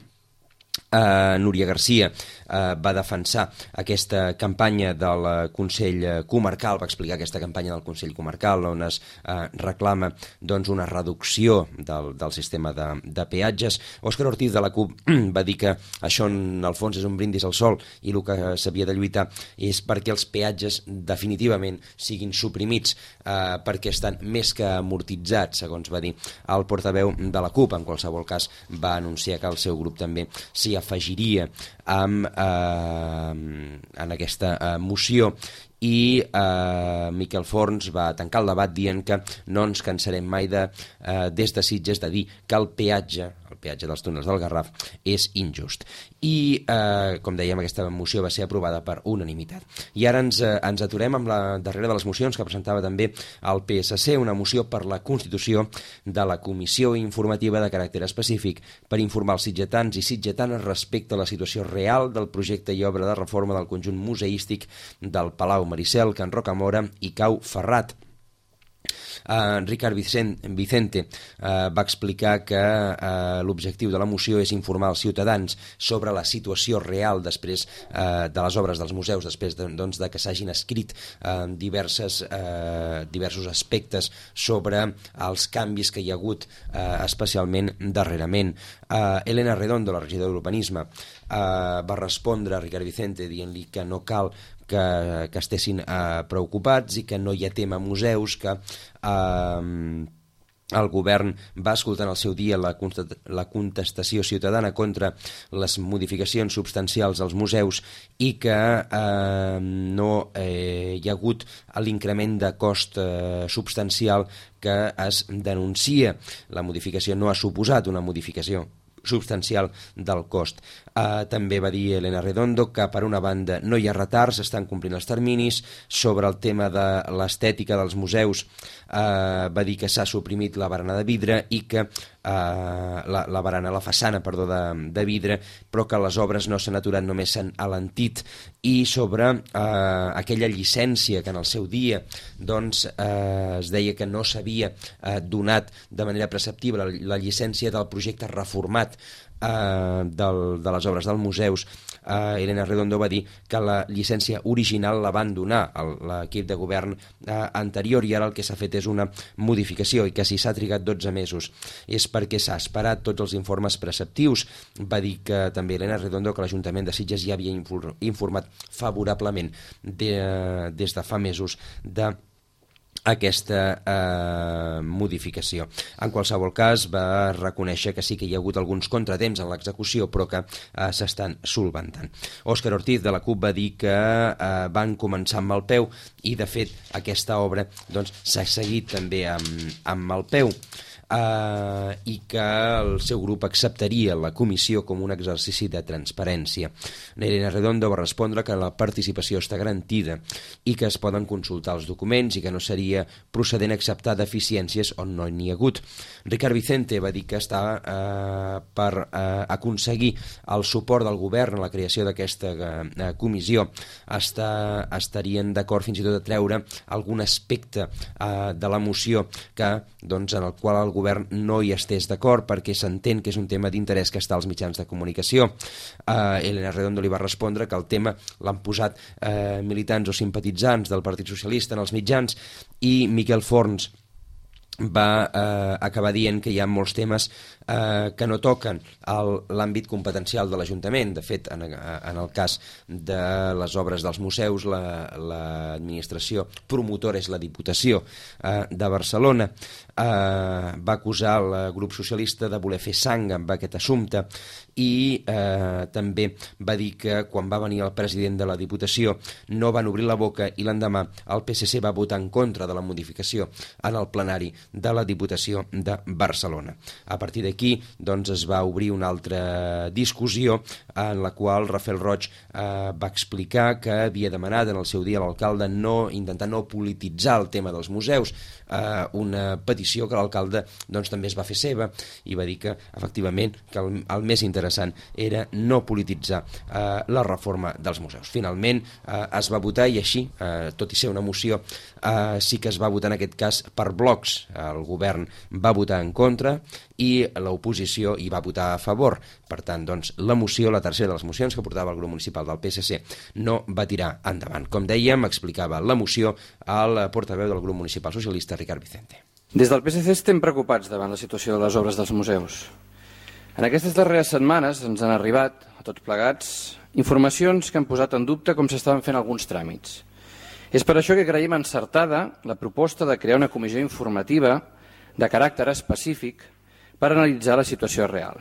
[SPEAKER 2] Uh, Núria Garcia uh, va defensar aquesta campanya del Consell Comarcal, va explicar aquesta campanya del Consell Comarcal, on es uh, reclama doncs, una reducció del, del sistema de, de peatges. Òscar Ortiz de la CUP va dir que això en el fons és un brindis al sol, i el que s'havia de lluitar és perquè els peatges definitivament siguin suprimits, uh, perquè estan més que amortitzats, segons va dir el portaveu de la CUP. En qualsevol cas, va anunciar que el seu grup també s'hi afegiria amb, eh, en aquesta eh, moció, i eh, Miquel Forns va tancar el debat dient que no ens cansarem mai de, eh, des de Sitges, de dir que el peatge, el peatge dels túnels del Garraf, és injust. I, eh, com dèiem, aquesta moció va ser aprovada per unanimitat. I ara ens, eh, ens aturem amb la darrera de les mocions que presentava també el P S C, una moció per la constitució de la Comissió Informativa de Caràcter Específic per informar els sitgetans i sitgetanes respecte a la situació real del projecte i obra de reforma del conjunt museístic del Palau Maricel, Can Rocamora i Cau Ferrat. Uh, Ricard Vicente uh, va explicar que uh, l'objectiu de la moció és informar els ciutadans sobre la situació real després uh, de les obres dels museus, després de, doncs, de que s'hagin escrit uh, diverses, uh, diversos aspectes sobre els canvis que hi ha hagut uh, especialment darrerament. Uh, Elena Redondo, la regidora d'Urbanisme, uh, va respondre a Ricard Vicente dient-li que no cal que, que estessin eh, preocupats i que no hi ha tema museus, que eh, el govern va escoltar en el seu dia la, la contestació ciutadana contra les modificacions substancials als museus i que eh, no eh, hi ha hagut l'increment de cost eh, substancial que es denuncia. La modificació no ha suposat una modificació substancial del cost. Uh, també va dir Elena Redondo que per una banda no hi ha retards, estan complint els terminis. Sobre el tema de l'estètica dels museus, uh, va dir que s'ha suprimit la barana de vidre i que uh, la, la barana, la façana, perdó, de, de vidre, però que les obres no s'han aturat, només s'han alentit. I sobre uh, aquella llicència que en el seu dia doncs, uh, es deia que no s'havia uh, donat de manera preceptiva la, la llicència del projecte reformat Uh, del, de les obres dels museus, uh, Elena Redondo va dir que la llicència original la van donar a l'equip de govern uh, anterior i ara el que s'ha fet és una modificació i que si s'ha trigat dotze mesos és perquè s'ha esperat tots els informes preceptius. Va dir que també Elena Redondo que l'Ajuntament de Sitges ja havia informat favorablement de, uh, des de fa mesos de aquesta eh, modificació. En qualsevol cas, va reconèixer que sí que hi ha hagut alguns contratemps en l'execució, però que eh, s'estan solventant. Òscar Ortiz, de la CUP, va dir que eh, van començar amb el peu i, de fet, aquesta obra doncs, s'ha seguit també amb, amb el peu. Uh, i que el seu grup acceptaria la comissió com un exercici de transparència. Elena Redondo va respondre que la participació està garantida i que es poden consultar els documents i que no seria procedent acceptar deficiències on no n'hi ha hagut. Ricard Vicente va dir que està uh, per uh, aconseguir el suport del govern a la creació d'aquesta uh, comissió. Està, estarien d'acord fins i tot a treure algun aspecte uh, de la moció que, doncs, en el qual el govern no hi estés d'acord perquè s'entén que és un tema d'interès que està als mitjans de comunicació. Uh, Elena Redondo li va respondre que el tema l'han posat uh, militants o simpatitzants del Partit Socialista en els mitjans i Miquel Forns va eh, acabar dient que hi ha molts temes eh, que no toquen l'àmbit competencial de l'Ajuntament. De fet, en, en el cas de les obres dels museus, l'administració la, promotora és la Diputació eh, de Barcelona. Eh, va acusar el grup socialista de voler fer sang amb aquest assumpte i eh, també va dir que quan va venir el president de la Diputació no van obrir la boca i l'endemà el P S C va votar en contra de la modificació en el plenari de la Diputació de Barcelona. A partir d'aquí doncs, es va obrir una altra discussió en la qual Rafael Roig eh, va explicar que havia demanat en el seu dia a l'alcalde no, intentar no polititzar el tema dels museus, eh, una petició que l'alcalde doncs, també es va fer seva i va dir que efectivament que el, el més interessant era no polititzar eh, la reforma dels museus. Finalment eh, es va votar i així, eh, tot i ser una moció, eh, sí que es va votar en aquest cas per blocs. El govern va votar en contra i l'oposició hi va votar a favor. Per tant, doncs, la moció, la tercera de les mocions que portava el grup municipal del P S C, no va tirar endavant. Com dèiem, explicava la moció al portaveu del grup municipal socialista, Ricard Vicente.
[SPEAKER 7] Des del P S C estem preocupats davant la situació de les obres dels museus. En aquestes darreres setmanes ens han arribat, a tots plegats, informacions que han posat en dubte com s'estaven fent alguns tràmits. És per això que creiem encertada la proposta de crear una comissió informativa de caràcter específic per analitzar la situació real.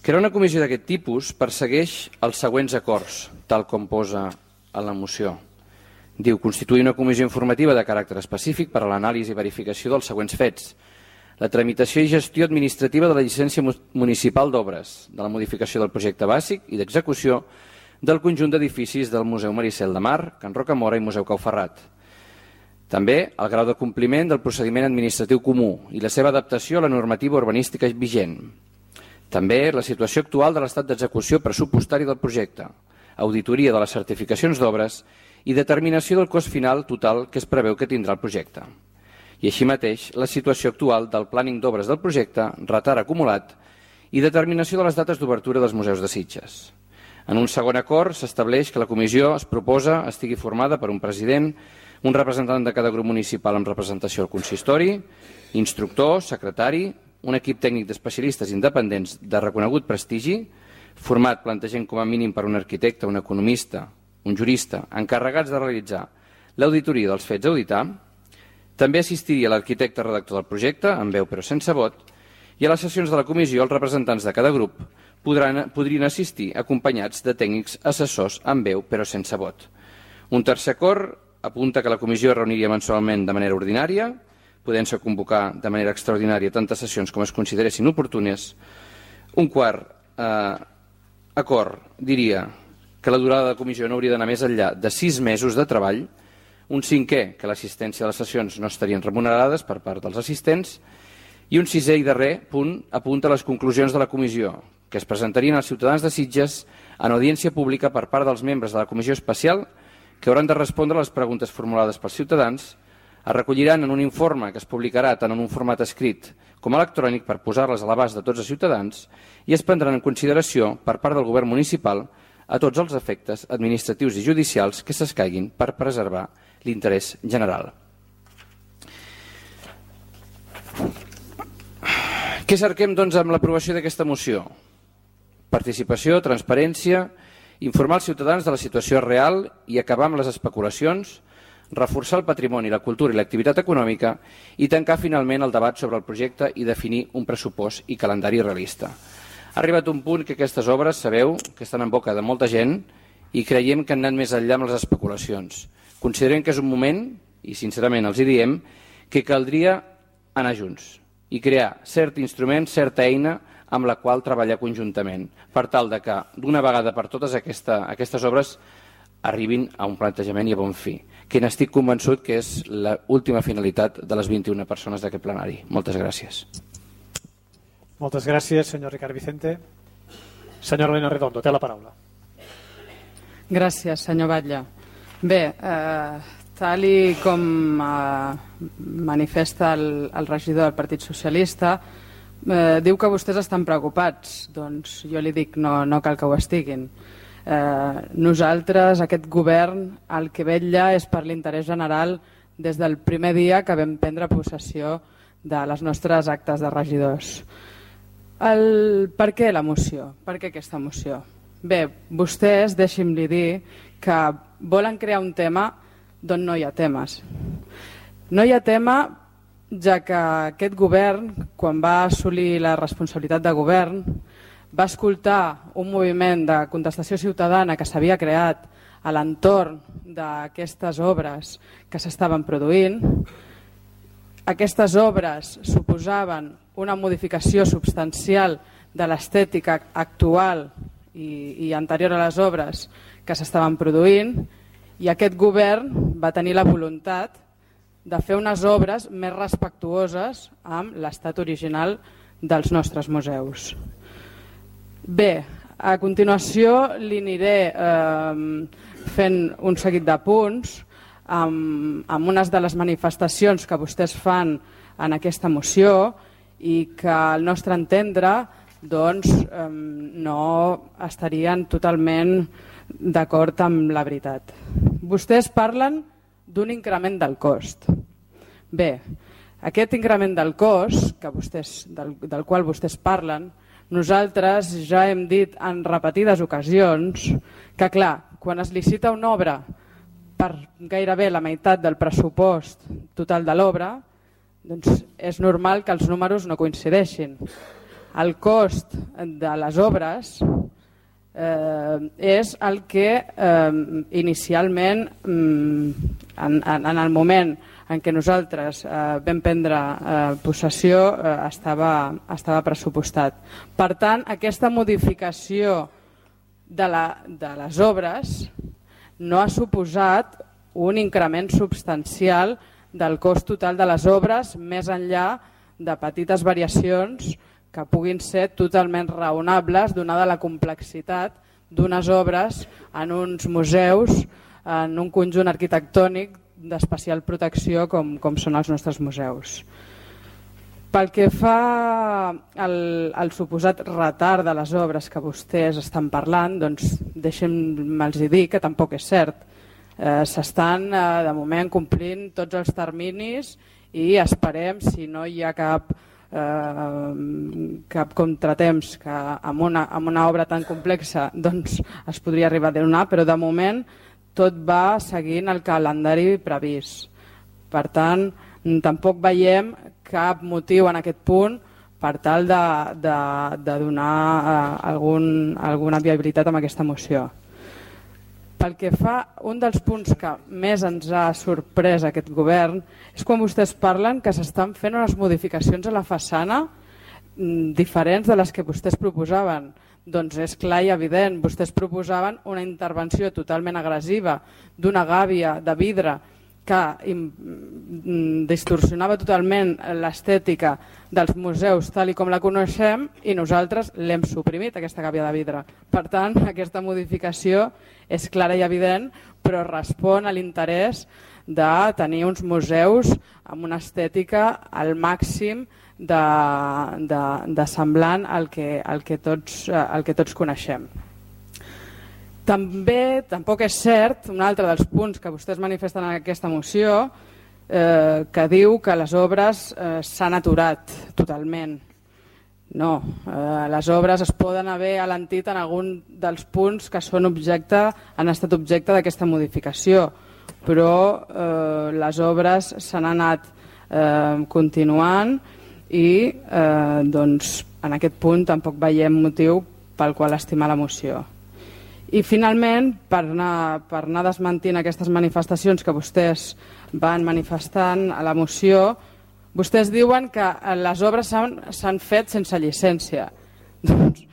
[SPEAKER 7] Crear una comissió d'aquest tipus persegueix els següents acords, tal com posa en la moció. Diu, constituir una comissió informativa de caràcter específic per a l'anàlisi i verificació dels següents fets. La tramitació i gestió administrativa de la llicència municipal d'obres, de la modificació del projecte bàsic i d'execució del conjunt d'edificis del Museu Maricel de Mar, Can Rocamora i Museu Cau Ferrat. També el grau de compliment del procediment administratiu comú i la seva adaptació a la normativa urbanística vigent. També la situació actual de l'estat d'execució pressupostari del projecte, auditoria de les certificacions d'obres i determinació del cost final total que es preveu que tindrà el projecte. I així mateix, la situació actual del plàning d'obres del projecte, retard acumulat i determinació de les dates d'obertura dels museus de Sitges. En un segon acord s'estableix que la comissió es proposa estigui formada per un president, un representant de cada grup municipal amb representació al consistori, instructor, secretari, un equip tècnic d'especialistes independents de reconegut prestigi, format plantegem com a mínim per un arquitecte, un economista, un jurista, encarregats de realitzar l'auditoria dels fets a auditar. També assistiria l'arquitecte redactor del projecte, amb veu però sense vot, i a les sessions de la comissió els representants de cada grup podran, podrien assistir acompanyats de tècnics assessors amb veu però sense vot. Un tercer acord apunta que la comissió es reuniria mensualment de manera ordinària, podent-se convocar de manera extraordinària tantes sessions com es consideressin oportunes. Un quart, eh, acord diria que la durada de la comissió no hauria d'anar més enllà de sis mesos de treball, un cinquè, que l'assistència a les sessions no estarien remunerades per part dels assistents, i un sisè i darrer punt apunta a les conclusions de la comissió, que es presentarien als ciutadans de Sitges en audiència pública per part dels membres de la comissió especial, que hauran de respondre a les preguntes formulades pels ciutadans, es recolliran en un informe que es publicarà tant en un format escrit com electrònic per posar-les a l'abast de tots els ciutadans i es prendran en consideració per part del govern municipal a tots els efectes administratius i judicials que s'escaiguin per preservar l'interès general. Què cerquem, doncs, amb l'aprovació d'aquesta moció? Participació, transparència, informar els ciutadans de la situació real i acabar amb les especulacions, reforçar el patrimoni, la cultura i l'activitat econòmica i tancar finalment el debat sobre el projecte i definir un pressupost i calendari realista. Ha arribat un punt que aquestes obres, sabeu, que estan en boca de molta gent i creiem que han anat més enllà amb les especulacions. Considerem que és un moment, i sincerament els hi diem, que caldria anar junts i crear cert instrument, certa eina amb la qual treballar conjuntament, per tal de que d'una vegada per totes aquesta, aquestes obres arribin a un plantejament i a bon fi, que n'estic convençut que és l'última finalitat de les vint-i-una persones d'aquest plenari. Moltes gràcies.
[SPEAKER 4] Moltes gràcies, senyor Ricard Vicente. Senyora Elena Redondo, té la paraula.
[SPEAKER 8] Gràcies, senyor Batlle. Bé, eh, tal i com eh, manifesta el, el regidor del Partit Socialista, eh, diu que vostès estan preocupats. Doncs jo li dic, no, no cal que ho estiguin. Eh, nosaltres, aquest govern, el que vetlla és per l'interès general des del primer dia que vam prendre possessió de les nostres actes de regidors. El, per què la moció? Per què aquesta moció? Bé, vostès, deixi'm-li dir que volen crear un tema d'on no hi ha temes. No hi ha tema, ja que aquest govern, quan va assolir la responsabilitat de govern, va escoltar un moviment de contestació ciutadana que s'havia creat a l'entorn d'aquestes obres que s'estaven produint. Aquestes obres suposaven una modificació substancial de l'estètica actual i, i anterior a les obres que s'estaven produint, i aquest govern va tenir la voluntat de fer unes obres més respectuoses amb l'estat original dels nostres museus. Bé, a continuació li aniré eh, fent un seguit de punts amb, amb unes de les manifestacions que vostès fan en aquesta moció i que al nostre entendre doncs, eh, no estarien totalment d'acord amb la veritat. Vostès parlen d'un increment del cost. Bé, aquest increment del cost que vostès, del, del qual vostès parlen, nosaltres ja hem dit en repetides ocasions que, clar, quan es licita una obra per gairebé la meitat del pressupost total de l'obra, doncs és normal que els números no coincideixin. El cost de les obres eh, és el que eh, inicialment, mm, en, en, en el moment en què nosaltres eh, vam prendre eh, possessió eh, estava, estava pressupostat. Per tant, aquesta modificació de, la, de les obres no ha suposat un increment substancial del cost total de les obres, més enllà de petites variacions que puguin ser totalment raonables donada la complexitat d'unes obres en uns museus, en un conjunt arquitectònic d'especial protecció com, com són els nostres museus. Pel que fa al, al suposat retard de les obres que vostès estan parlant, doncs deixem-me'ls dir que tampoc és cert. Eh, S'estan eh, de moment complint tots els terminis i esperem, si no hi ha cap, eh, cap contratemps que amb una, amb una obra tan complexa doncs, es podria arribar a donar, però de moment tot va seguint el calendari previst. Per tant, tampoc veiem cap motiu en aquest punt per tal de, de, de donar eh, algun, alguna viabilitat amb aquesta moció. Pel que fa, un dels punts que més ens ha sorprès aquest govern és quan vostès parlen que s'estan fent unes modificacions a la façana diferents de les que vostès proposaven. Doncs és clar i evident. Vostès proposaven una intervenció totalment agressiva d'una gàbia de vidre que distorsionava totalment l'estètica dels museus tal i com la coneixem i nosaltres l'hem suprimit, aquesta gàbia de vidre. Per tant, aquesta modificació és clara i evident, però respon a l'interès de tenir uns museus amb una estètica al màxim de, de, de semblant al que, al que, tots, al que tots coneixem. També, tampoc és cert, un altre dels punts que vostès manifesten en aquesta moció, eh, que diu que les obres eh, s'han aturat totalment. No, eh, les obres es poden haver alentit en algun dels punts que són objecte, han estat objecte d'aquesta modificació, però eh, les obres s'han anat eh, continuant i eh, doncs, en aquest punt tampoc veiem motiu pel qual estimar la moció. I finalment, per anar, per anar desmentint aquestes manifestacions que vostès van manifestant a la moció, vostès diuen que les obres s'han fet sense llicència. Doncs,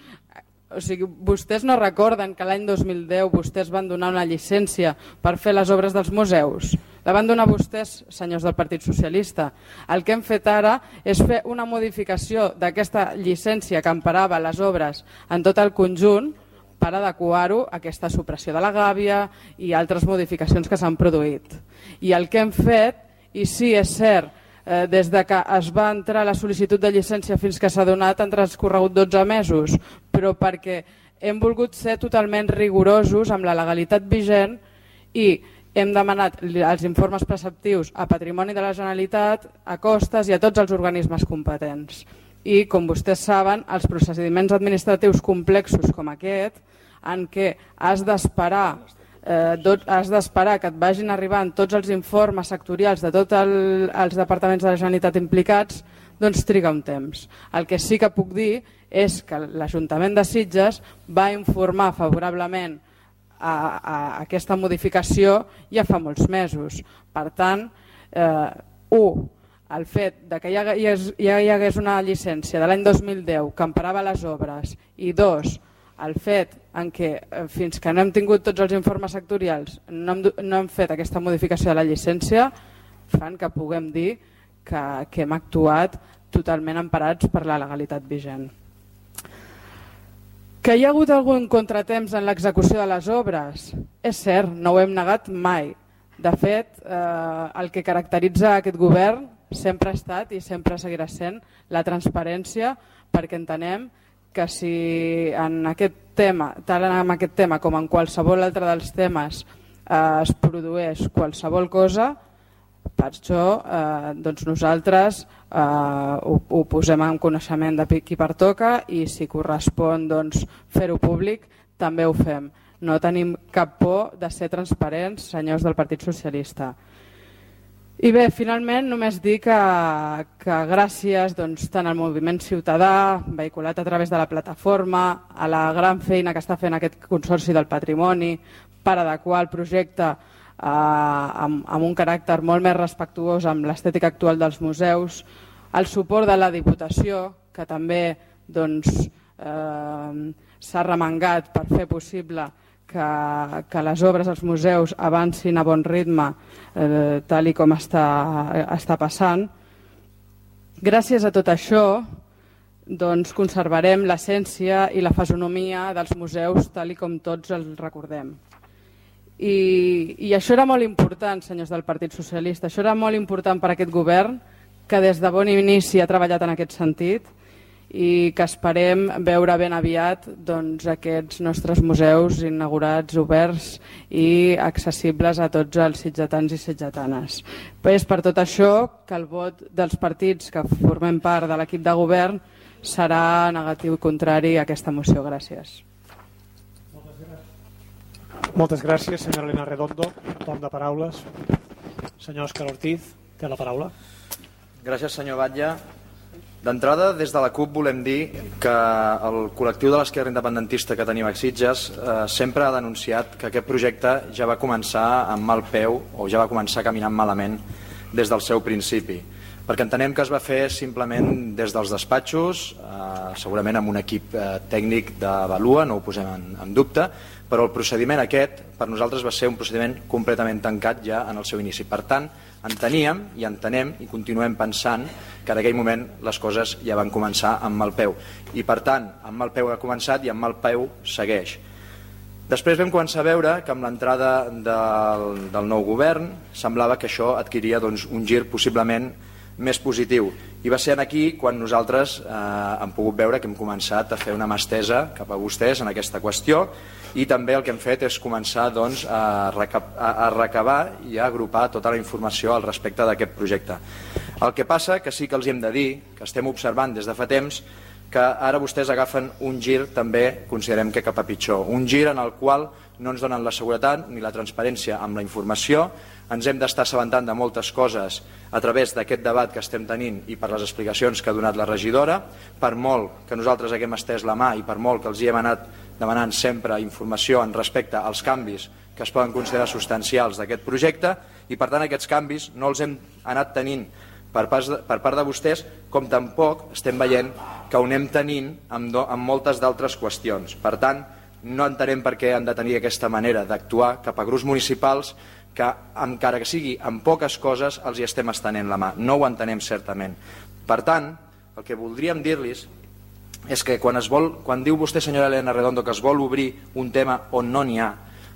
[SPEAKER 8] o sigui, vostès no recorden que l'any dos mil deu vostès van donar una llicència per fer les obres dels museus? La van donar vostès, senyors del Partit Socialista. El que hem fet ara és fer una modificació d'aquesta llicència que emparava les obres en tot el conjunt per adequar-ho a aquesta supressió de la gàbia i altres modificacions que s'han produït. I el que hem fet, i sí, és cert, eh, des de que es va entrar la sol·licitud de llicència fins que s'ha donat han transcorregut dotze mesos, però perquè hem volgut ser totalment rigorosos amb la legalitat vigent i hem demanat els informes preceptius a Patrimoni de la Generalitat, a Costes i a tots els organismes competents. I, com vostès saben, els procediments administratius complexos com aquest, en què has d'esperar eh, has d'esperar que et vagin arribant tots els informes sectorials de tots el, els departaments de la Generalitat implicats, doncs triga un temps. El que sí que puc dir és que l'Ajuntament de Sitges va informar favorablement a, a aquesta modificació ja fa molts mesos. Per tant, eh, u, el fet de que ja hi hagués, ja hi hagués una llicència de l'any dos mil deu que emparava les obres i dos, el fet en què fins que no hem tingut tots els informes sectorials no hem, no hem fet aquesta modificació de la llicència fan que puguem dir que, que hem actuat totalment emparats per la legalitat vigent. Que hi ha hagut algun contratemps en l'execució de les obres? És cert, no ho hem negat mai. De fet, eh, el que caracteritza aquest govern sempre ha estat i sempre seguirà sent la transparència, perquè entenem que si en aquest tema, tant en aquest tema com en qualsevol altre dels temes eh, es produeix qualsevol cosa, per això eh, doncs nosaltres eh, ho, ho posem en coneixement de qui pertoca i si correspon doncs, fer-ho públic també ho fem. No tenim cap por de ser transparents, senyors del Partit Socialista. I bé, finalment només dir que, que gràcies doncs, tant al moviment ciutadà, vehiculat a través de la plataforma, a la gran feina que està fent aquest Consorci del Patrimoni per adequar el projecte eh, amb, amb un caràcter molt més respectuós amb l'estètica actual dels museus, el suport de la Diputació, que també doncs, eh, s'ha remengat per fer possible que, que les obres als museus avancin a bon ritme eh, tal i com està, està passant. Gràcies a tot això doncs, conservarem l'essència i la fisonomia dels museus tal i com tots els recordem. I, I això era molt important, senyors del Partit Socialista, això era molt important per a aquest govern que des de bon inici ha treballat en aquest sentit i que esperem veure ben aviat doncs, aquests nostres museus inaugurats, oberts i accessibles a tots els sitgetans i sitgetanes. És per tot això que el vot dels partits que formem part de l'equip de govern serà negatiu i contrari a aquesta moció. Gràcies.
[SPEAKER 4] Moltes gràcies, senyora Elena Redondo. Torn de paraules. Senyor Òscar Ortiz, té la paraula.
[SPEAKER 5] Gràcies, senyor Batlle. D'entrada, des de la CUP volem dir que el col·lectiu de l'esquerra independentista que tenim a Sitges eh, sempre ha denunciat que aquest projecte ja va començar amb mal peu o ja va començar caminant malament des del seu principi. perquè entenem que es va fer simplement des dels despatxos, eh, segurament amb un equip eh, tècnic d'Avalua, no ho posem en, en dubte, però el procediment aquest per nosaltres va ser un procediment completament tancat ja en el seu inici. Per tant, enteníem i entenem i continuem pensant que en aquell moment les coses ja van començar amb mal peu. I per tant, amb mal peu ha començat i amb mal peu segueix. Després vam començar a veure que amb l'entrada del, del nou govern semblava que això adquiria doncs, un gir possiblement més positiu. I va ser aquí quan nosaltres eh, hem pogut veure que hem començat a fer una mà estesa cap a vostès en aquesta qüestió i també el que hem fet és començar doncs, a, recap a, a recabar i a agrupar tota la informació al respecte d'aquest projecte. El que passa que sí que els hem de dir, que estem observant des de fa temps, que ara vostès agafen un gir també, considerem que cap a pitjor, un gir en el qual no ens donen la seguretat ni la transparència amb la informació, ens hem d'estar assabentant de moltes coses a través d'aquest debat que estem tenint i per les explicacions que ha donat la regidora, per molt que nosaltres haguem estès la mà i per molt que els hi hem anat demanant sempre informació en respecte als canvis que es poden considerar substancials d'aquest projecte, i per tant aquests canvis no els hem anat tenint per part de, per part de vostès, com tampoc estem veient que ho anem tenint amb, do, amb moltes d'altres qüestions. Per tant, no entenem per què han de tenir aquesta manera d'actuar cap a grups municipals que, encara que sigui amb poques coses, els hi estem estenent la mà. No ho entenem certament. Per tant, el que voldríem dir-los és que quan, es vol, quan diu vostè, senyora Elena Redondo, que es vol obrir un tema on no n'hi ha,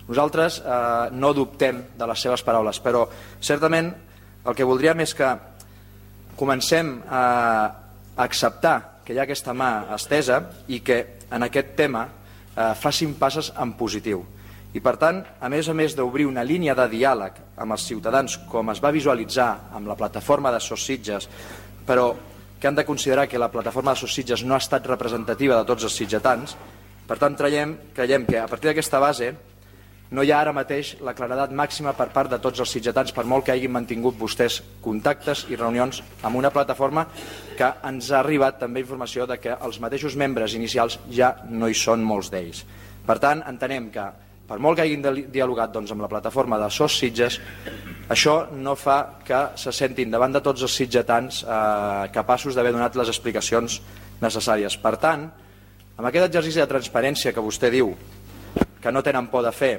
[SPEAKER 5] nosaltres eh, no dubtem de les seves paraules, però certament el que voldríem és que comencem a acceptar que hi ha aquesta mà estesa i que en aquest tema eh, facin passes en positiu. I per tant, a més a més d'obrir una línia de diàleg amb els ciutadans, com es va visualitzar amb la plataforma de Sos Sitges, però que han de considerar que la plataforma de Sos Sitges no ha estat representativa de tots els sitgetans, per tant creiem, creiem que a partir d'aquesta base no hi ha ara mateix la claredat màxima per part de tots els sitgetans, per molt que hagin mantingut vostès contactes i reunions amb una plataforma que ens ha arribat també informació de que els mateixos membres inicials ja no hi són molts d'ells. Per tant, entenem que per molt que hagin dialogat doncs, amb la plataforma de Sos Sitges, això no fa que se sentin davant de tots els sitgetans eh, capaços d'haver donat les explicacions necessàries. Per tant, amb aquest exercici de transparència que vostè diu que no tenen por de fer,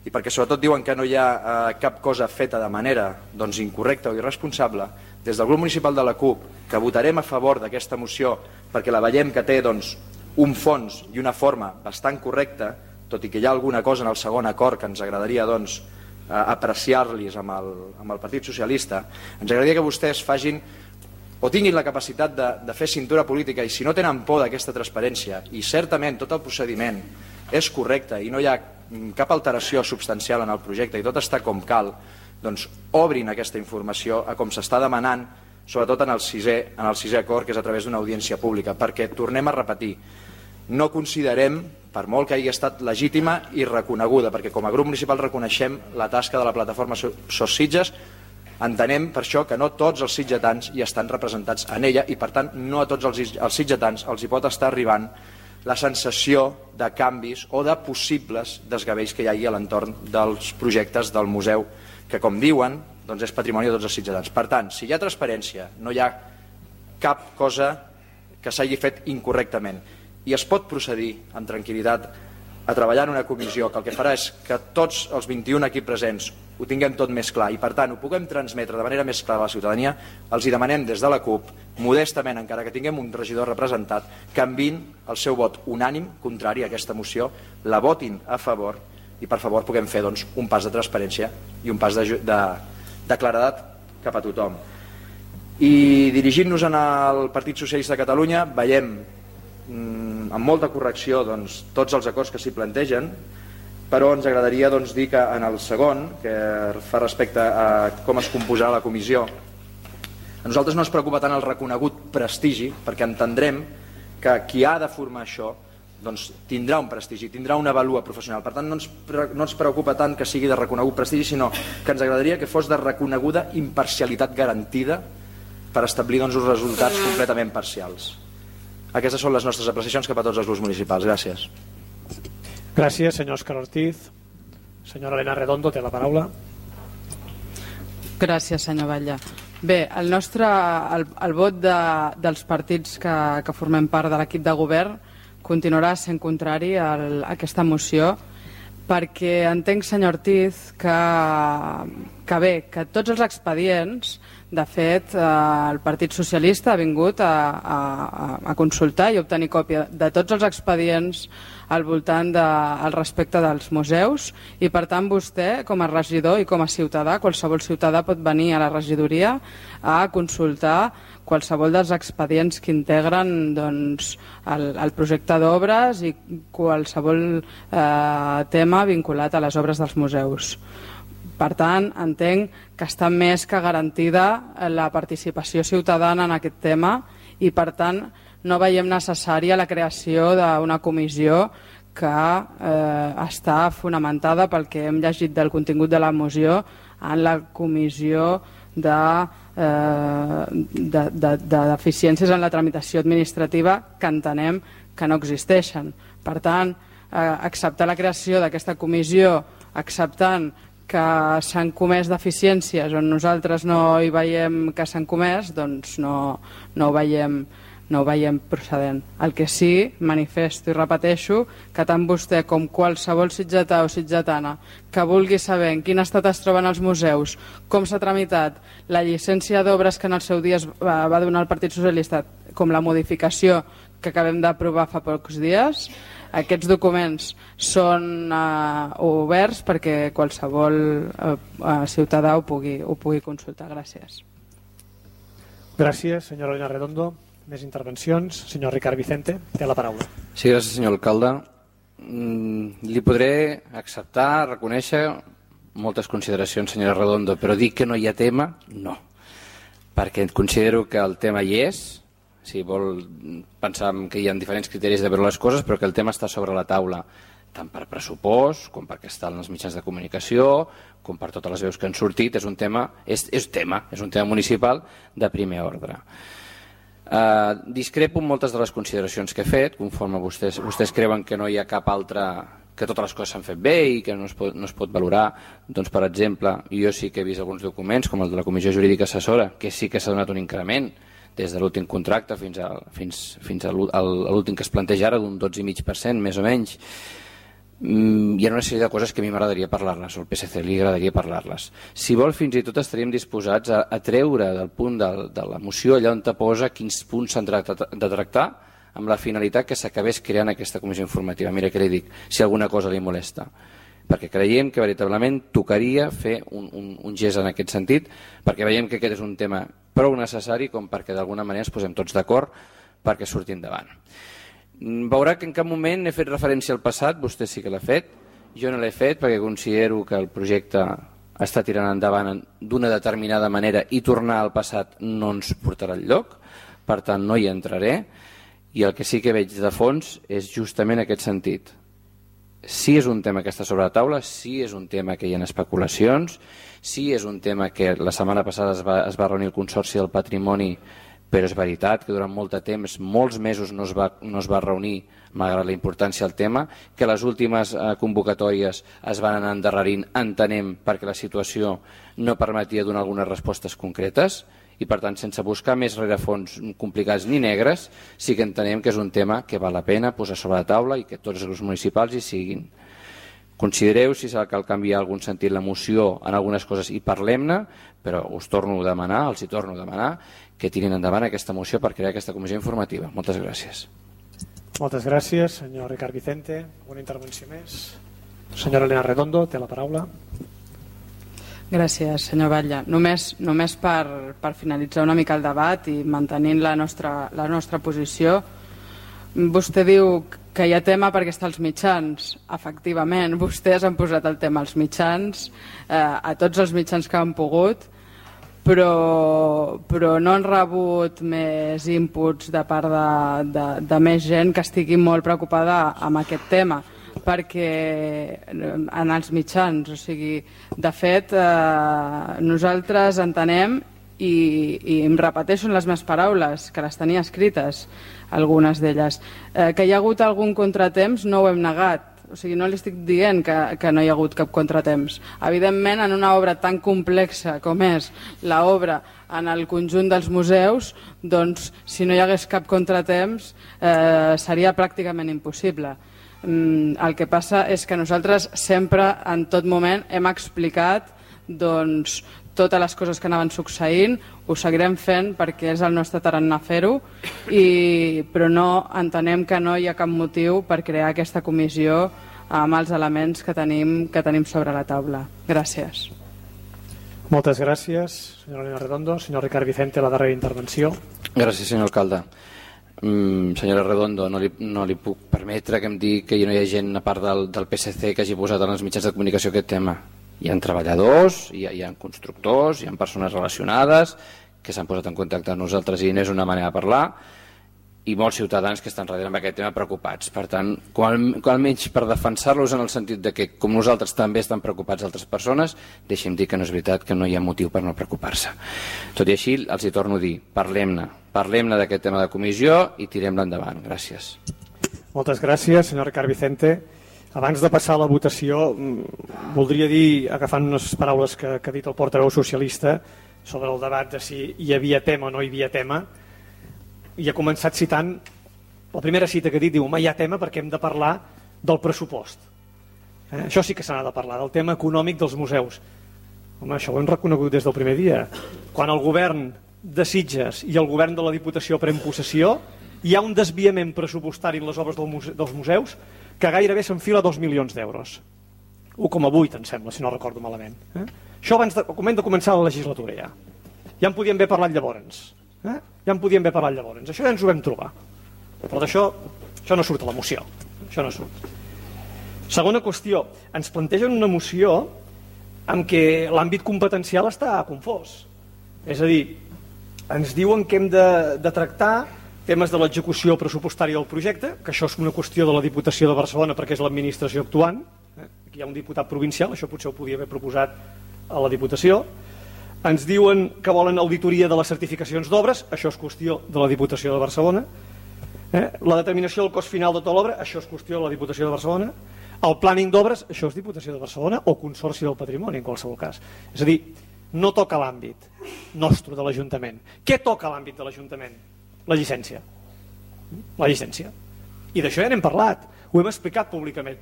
[SPEAKER 5] i perquè sobretot diuen que no hi ha eh, cap cosa feta de manera doncs, incorrecta o irresponsable, des del grup municipal de la CUP, que votarem a favor d'aquesta moció perquè la veiem que té doncs, un fons i una forma bastant correcta, tot i que hi ha alguna cosa en el segon acord que ens agradaria doncs, eh, apreciar-los amb, el, amb el Partit Socialista, ens agradaria que vostès facin o tinguin la capacitat de, de fer cintura política, i si no tenen por d'aquesta transparència i certament tot el procediment és correcte i no hi ha cap alteració substancial en el projecte i tot està com cal, doncs obrin aquesta informació a com s'està demanant, sobretot en el sisè, en el sisè acord, que és a través d'una audiència pública, perquè tornem a repetir, no considerem, per molt que hagi estat legítima i reconeguda, perquè com a grup municipal reconeixem la tasca de la plataforma Sos Sitges, entenem per això que no tots els sitgetans hi estan representats en ella i per tant no a tots els, els sitgetans els hi pot estar arribant la sensació de canvis o de possibles desgavells que hi hagi a l'entorn dels projectes del museu, que com diuen doncs és patrimoni de tots els sitgetans. Per tant, si hi ha transparència, no hi ha cap cosa que s'hagi fet incorrectament i es pot procedir amb tranquil·litat a treballar en una comissió que el que farà és que tots els vint-i-un aquí presents ho tinguem tot més clar i per tant ho puguem transmetre de manera més clara a la ciutadania, els hi demanem des de la CUP, modestament, encara que tinguem un regidor representat, que enviïn el seu vot unànim contrari a aquesta moció, la votin a favor i per favor puguem fer doncs, un pas de transparència i un pas de, de, de claredat cap a tothom. I dirigint-nos al Partit Socialista de Catalunya veiem mm, amb molta correcció doncs, tots els acords que s'hi plantegen, però ens agradaria doncs, dir que en el segon, que fa respecte a com es composarà la comissió, a nosaltres no ens preocupa tant el reconegut prestigi, perquè entendrem que qui ha de formar això doncs, tindrà un prestigi, tindrà una vàlua professional. Per tant, no ens, no ens preocupa tant que sigui de reconegut prestigi, sinó que ens agradaria que fos de reconeguda imparcialitat garantida per establir doncs, uns resultats completament parcials. Aquestes són les nostres apreciacions cap a tots els grups municipals. Gràcies.
[SPEAKER 4] Gràcies, senyor Òscar Ortiz. Senyora Elena Redondo, té la paraula.
[SPEAKER 8] Gràcies, senyor Batlle. Bé, el nostre, el, el vot de, dels partits que, que formem part de l'equip de govern continuarà sent contrari a aquesta moció, perquè entenc, senyor Ortiz, que, que bé, que tots els expedients, de fet, eh, el Partit Socialista ha vingut a, a, a consultar i obtenir còpia de tots els expedients al voltant de, al respecte dels museus, i per tant vostè, com a regidor i com a ciutadà, qualsevol ciutadà pot venir a la regidoria a consultar qualsevol dels expedients que integren doncs, el, el projecte d'obres i qualsevol eh, tema vinculat a les obres dels museus. Per tant, entenc que està més que garantida la participació ciutadana en aquest tema i, per tant, no veiem necessària la creació d'una comissió que eh, està fonamentada pel que hem llegit del contingut de la moció en la comissió de, eh, de, de, de deficiències en la tramitació administrativa que entenem que no existeixen. Per tant, eh, acceptar la creació d'aquesta comissió acceptant que s'han comès deficiències on nosaltres no hi veiem que s'han comès, doncs no, no ho veiem no ho veiem procedent. El que sí, manifesto i repeteixo que tant vostè com qualsevol sitgetà o sitgetana que vulgui saber en quin estat es troben els museus, com s'ha tramitat la llicència d'obres que en el seu dia es va, va donar el Partit Socialista, com la modificació que acabem d'aprovar fa pocs dies, aquests documents són eh, oberts perquè qualsevol eh, ciutadà ho pugui, ho pugui consultar. Gràcies.
[SPEAKER 4] Gràcies, senyora Elena Redondo. Més intervencions. Senyor Ricard Vicente, té la paraula.
[SPEAKER 7] Sí, gràcies, senyor alcalde. Mm, li podré acceptar, reconèixer moltes consideracions, senyora Redondo, però dir que no hi ha tema, no. Perquè considero que el tema hi és, si vol pensar que hi ha diferents criteris de veure les coses, però que el tema està sobre la taula, tant per pressupost, com perquè estan els mitjans de comunicació, com per totes les veus que han sortit. És un tema, és, és tema, és un tema municipal de primer ordre. Uh, discrepo en moltes de les consideracions que he fet, conforme vostès, vostès creuen que no hi ha cap altra, que totes les coses s'han fet bé i que no es pot, no es pot valorar. Doncs, per exemple, jo sí que he vist alguns documents, com el de la Comissió Jurídica Assessora, que sí que s'ha donat un increment des de l'últim contracte fins a, fins, fins a l'últim que es planteja ara, d'un dotze coma cinc per cent, més o menys. Mm, hi ha una sèrie de coses que a mi m'agradaria parlar-les, o al P S C li agradaria parlar-les. Si vol, fins i tot estaríem disposats a, a treure del punt de, de la moció allà on te posa quins punts s'han de tractar, amb la finalitat que s'acabés creant aquesta comissió informativa. Mira què li dic, si alguna cosa li molesta. Perquè creiem que veritablement tocaria fer un, un, un gest en aquest sentit, perquè veiem que aquest és un tema prou necessari com perquè d'alguna manera ens posem tots d'acord perquè surti endavant. Veurà que en cap moment he fet referència al passat, vostè sí que l'ha fet, jo no l'he fet perquè considero que el projecte està tirant endavant d'una determinada manera i tornar al passat no ens portarà enlloc, per tant no hi entraré, i el que sí que veig de fons és justament aquest sentit. Sí és un tema que està sobre la taula, sí és un tema que hi ha especulacions, sí és un tema que la setmana passada es va, es va reunir el Consorci del Patrimoni, però és veritat que durant molt de temps, molts mesos no es va, no es va reunir, malgrat la importància del tema, que les últimes eh, convocatòries es van anar endarrerint, entenem, perquè la situació no permetia donar algunes respostes concretes, i per tant, sense buscar més rerefons complicats ni negres, sí que entenem que és un tema que val la pena posar sobre la taula i que tots els grups municipals hi siguin. Considereu si cal canviar algun sentit la moció en algunes coses i parlem-ne, però us torno a demanar, els hi torno a demanar, que tirin endavant aquesta moció per crear aquesta comissió informativa. Moltes gràcies.
[SPEAKER 4] Moltes gràcies, senyor Ricard Vicente. Una intervenció més. Senyora Elena Redondo, té la paraula.
[SPEAKER 8] Gràcies, senyor Batlle. Només, només per, per finalitzar una mica el debat i mantenint la nostra, la nostra posició, vostè diu que hi ha tema perquè està als mitjans. Efectivament, vostès han posat el tema als mitjans, eh, a tots els mitjans que han pogut, però, però no han rebut més inputs de part de, de, de més gent que estigui molt preocupada amb aquest tema, perquè en els mitjans, o sigui, de fet, eh, nosaltres entenem, i, i em repeteixo en les meves paraules, que les tenia escrites, algunes d'elles, eh, que hi ha hagut algun contratemps, no ho hem negat, o sigui, no li estic dient que, que no hi ha hagut cap contratemps. Evidentment, en una obra tan complexa com és l'obra en el conjunt dels museus, doncs, si no hi hagués cap contratemps, eh, seria pràcticament impossible. Mm, el que passa és que nosaltres sempre, en tot moment, hem explicat doncs, totes les coses que anaven succeint, ho seguirem fent perquè és el nostre tarannà fer-ho, i, però no entenem que no hi ha cap motiu per crear aquesta comissió amb els elements que tenim, que tenim sobre la taula. Gràcies.
[SPEAKER 4] Moltes gràcies, senyora Elena Redondo. Senyor Ricard Vicente, la darrera intervenció.
[SPEAKER 7] Gràcies, senyor alcalde. Mm, senyora Redondo, no li, no li puc permetre que em digui que no hi ha gent a part del, del P S C que hagi posat en els mitjans de comunicació aquest tema. Hi ha treballadors, hi ha, hi ha constructors, hi ha persones relacionades que s'han posat en contacte amb nosaltres i n'és una manera de parlar, i molts ciutadans que estan darrere amb aquest tema preocupats. Per tant, com, com almenys per defensar-los en el sentit de que com nosaltres també estan preocupats altres persones, deixem dir que no és veritat, que no hi ha motiu per no preocupar-se. Tot i així, els hi torno a dir, parlem-ne, parlem-ne d'aquest tema de comissió i tirem-la endavant. Gràcies.
[SPEAKER 4] Moltes gràcies, senyor Ricard Vicente. Abans de passar a la votació, voldria dir, agafant unes paraules que, que ha dit el portaveu socialista sobre el debat de si hi havia tema o no hi havia tema, i ha començat citant la primera cita que ha dit, diu, home, hi ha tema perquè hem de parlar del pressupost. Eh? Això sí que se n'ha de parlar, del tema econòmic dels museus. Home, això ho hem reconegut des del primer dia. Quan el govern de Sitges i el govern de la Diputació pren possessió, hi ha un desviament pressupostari en les obres del muse dels museus que gairebé s'enfila dos milions d'euros. un coma vuit, em sembla, si no recordo malament. Eh? Això abans de, de començar la legislatura ja. Ja en podíem haver parlat llavors. Eh? Ja en podíem haver parlat llavors. Això ja ens ho vam trobar. Però d'això això no surt a la moció. Això no surt. Segona qüestió. Ens plantegen una moció en què l'àmbit competencial està confós. És a dir, ens diuen que hem de, de tractar temes de l'execució pressupostària del projecte, que això és una qüestió de la Diputació de Barcelona perquè és l'administració actuant. Aquí hi ha un diputat provincial, això potser ho podia haver proposat a la Diputació. Ens diuen que volen auditoria de les certificacions d'obres, això és qüestió de la Diputació de Barcelona. Eh? La determinació del cost final de tota l'obra, això és qüestió de la Diputació de Barcelona. El planning d'obres, això és Diputació de Barcelona o Consorci del Patrimoni, en qualsevol cas. És a dir, no toca l'àmbit nostre de l'Ajuntament. Què toca l'àmbit de l'Ajuntament? La llicència. La llicència. I d'això ja n'hem parlat, ho hem explicat públicament.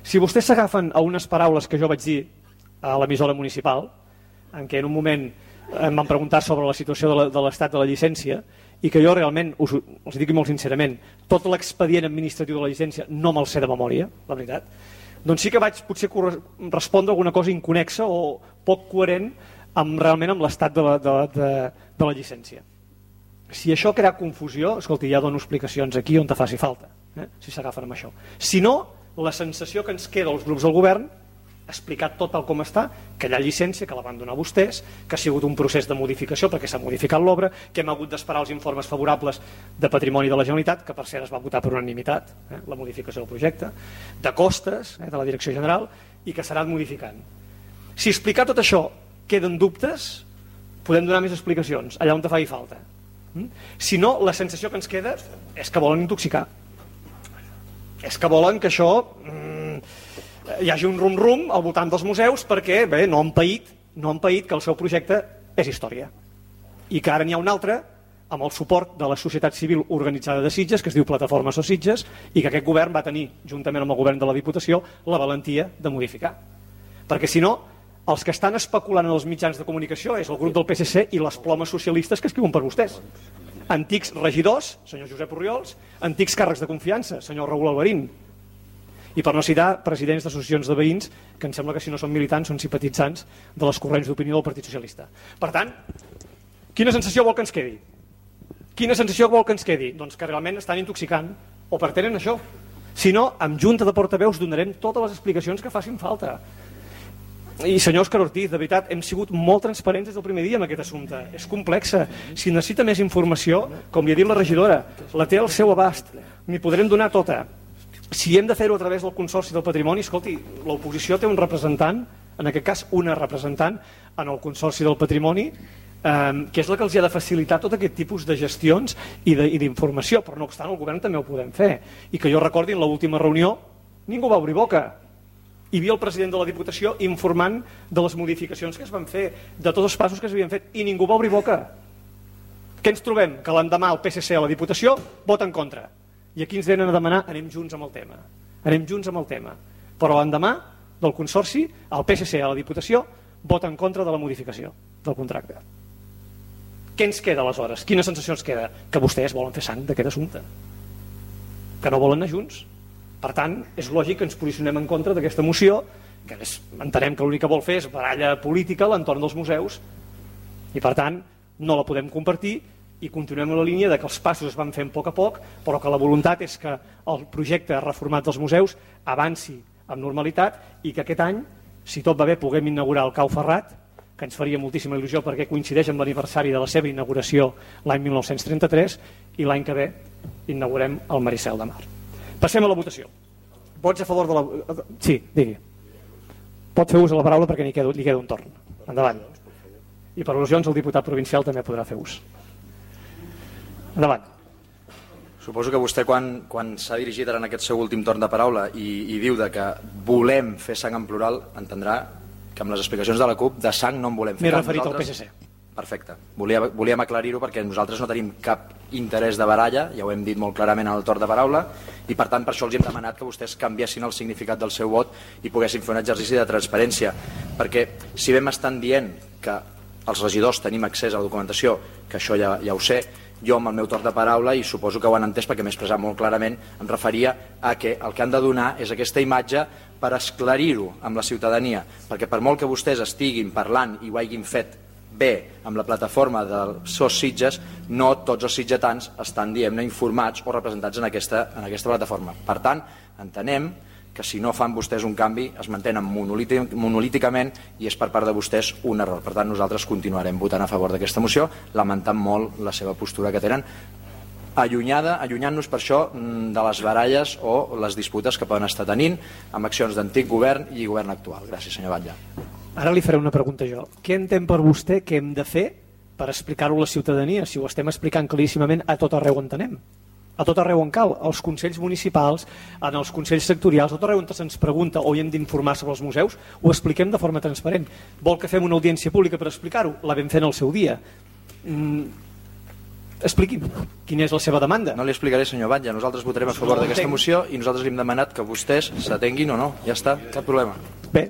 [SPEAKER 4] Si vostès s'agafen a unes paraules que jo vaig dir a l'emissora municipal, en què en un moment em van preguntar sobre la situació de l'estat de la llicència, i que jo realment, us, us dic molt sincerament, tot l'expedient administratiu de la llicència no me'l sé de memòria, la veritat, doncs sí que vaig potser respondre alguna cosa inconexa o poc coherent amb, realment amb l'estat de, la, de, de, de la llicència. Si això crea confusió, escolti, ja dono explicacions aquí on te faci falta, eh? Si s'agafen amb això. Si no, la sensació que ens queda als grups del govern, explicat tot el com està, que hi ha llicència, que la van donar vostès, que ha sigut un procés de modificació perquè s'ha modificat l'obra, que hem hagut d'esperar els informes favorables de Patrimoni de la Generalitat, que per cert es va votar per unanimitat, eh? La modificació del projecte, de costes, eh? De la Direcció General, i que s'ha anat modificant. Si explicar tot això queden dubtes, podem donar més explicacions, allà on te faci falta. Si no, la sensació que ens queda és que volen intoxicar. És que volen que això mmm, hi hagi un rum-rum al voltant dels museus perquè bé, no han paït, no han paït que el seu projecte és història. I que ara n'hi ha un altre amb el suport de la societat civil organitzada de Sitges, que es diu Plataforma So Sitges, i que aquest govern va tenir, juntament amb el govern de la Diputació, la valentia de modificar. Perquè si no, els que estan especulant en els mitjans de comunicació és el grup del P S C i les plomes socialistes que escriuen per vostès. Antics regidors, senyor Josep Orriols, antics càrrecs de confiança, senyor Raül Alberín, i per no citar presidents d'associacions de veïns que em sembla que si no són militants són simpatitzants de les corrents d'opinió del Partit Socialista. Per tant, quina sensació vol que ens quedi? Quina sensació vol que ens quedi? Doncs que realment estan intoxicant o pretenen això. Si no, amb junta de portaveus donarem totes les explicacions que facin falta. I senyor Òscar Ortiz, de veritat, hem sigut molt transparents des del primer dia amb aquest assumpte. És complexa. Si necessita més informació, com li ha dit la regidora, la té al seu abast. N'hi podrem donar tota. Si hem de fer-ho a través del Consorci del Patrimoni, escolti, l'oposició té un representant, en aquest cas una representant, en el Consorci del Patrimoni, eh, que és la que els ha de facilitar tot aquest tipus de gestions i d'informació, però no obstant el govern també ho podem fer. I que jo recordi en l'última reunió Ningú va obrir boca. Hi havia el president de la Diputació informant de les modificacions que es van fer, de tots els passos que s'havien fet, i ningú va obrir boca. Què ens trobem? Que l'endemà el P S C a la Diputació vota en contra. I aquí ens venen a demanar anem junts amb el tema. Anem junts amb el tema. Però l'endemà del Consorci, el P S C a la Diputació vota en contra de la modificació del contracte. Què ens queda aleshores? Quina sensació ens queda? Que vostès volen fer sang d'aquest assumpte. Que no volen anar junts. Per tant, és lògic que ens posicionem en contra d'aquesta moció, que és, entenem que l'únic que vol fer és baralla política a l'entorn dels museus, i per tant no la podem compartir i continuem en la línia de que els passos es van fent a poc a poc, però que la voluntat és que el projecte reformat dels museus avanci amb normalitat i que aquest any, si tot va bé, puguem inaugurar el Cau Ferrat, que ens faria moltíssima il·lusió perquè coincideix amb l'aniversari de la seva inauguració l'any mil nou-cents trenta-tres, i l'any que ve inaugurem el Maricel de Mar. Passem a la votació. Vots a favor de la... Sí, digui. Pot fer ús de la paraula perquè li queda, li queda un torn. Endavant. I per al·lusions el diputat provincial també podrà fer ús. Endavant.
[SPEAKER 5] Suposo que vostè quan, quan s'ha dirigit ara en aquest seu últim torn de paraula i, i diu de que volem fer sang en plural, entendrà que amb les explicacions de la CUP de sang no en volem fer.
[SPEAKER 4] M'he referit al P S C.
[SPEAKER 5] Perfecte. Volia, volíem aclarir-ho perquè nosaltres no tenim cap interès de baralla, ja ho hem dit molt clarament en el torn de paraula, i per tant per això els hem demanat que vostès canviessin el significat del seu vot i poguessin fer un exercici de transparència. Perquè si vam estan dient que els regidors tenim accés a la documentació, que això ja, ja ho sé, jo amb el meu torn de paraula, i suposo que ho han entès perquè m'he expressat molt clarament, em referia a que el que han de donar és aquesta imatge per esclarir-ho amb la ciutadania, perquè per molt que vostès estiguin parlant i ho hagin fet bé amb la plataforma del S O S Sitges, no tots els sitgetans estan, diguem-ne, informats o representats en aquesta, en aquesta plataforma. Per tant, entenem que si no fan vostès un canvi es mantenen monolíticament i és per part de vostès un error. Per tant, nosaltres continuarem votant a favor d'aquesta moció, lamentant molt la seva postura que tenen, allunyada, allunyant-nos per això de les baralles o les disputes que poden estar tenint amb accions d'antic govern i govern actual. Gràcies, senyor Batlle.
[SPEAKER 4] Ara li faré una pregunta jo. Què entén per vostè que hem de fer per explicar-ho a la ciutadania, si ho estem explicant claríssimament a tot arreu on anem? A tot arreu on cal, als consells municipals, en els consells sectorials, a tot arreu on se'ns pregunta o hi hem d'informar sobre els museus, ho expliquem de forma transparent. Vol que fem una audiència pública per explicar-ho? La vam fer en el seu dia. Mm, expliqui'm, quina és la seva demanda?
[SPEAKER 5] No li explicaré, senyor Batlle, nosaltres votarem a favor d'aquesta moció i nosaltres li hem demanat que vostès s'atenguin o no, ja està, cap problema.
[SPEAKER 4] Bé,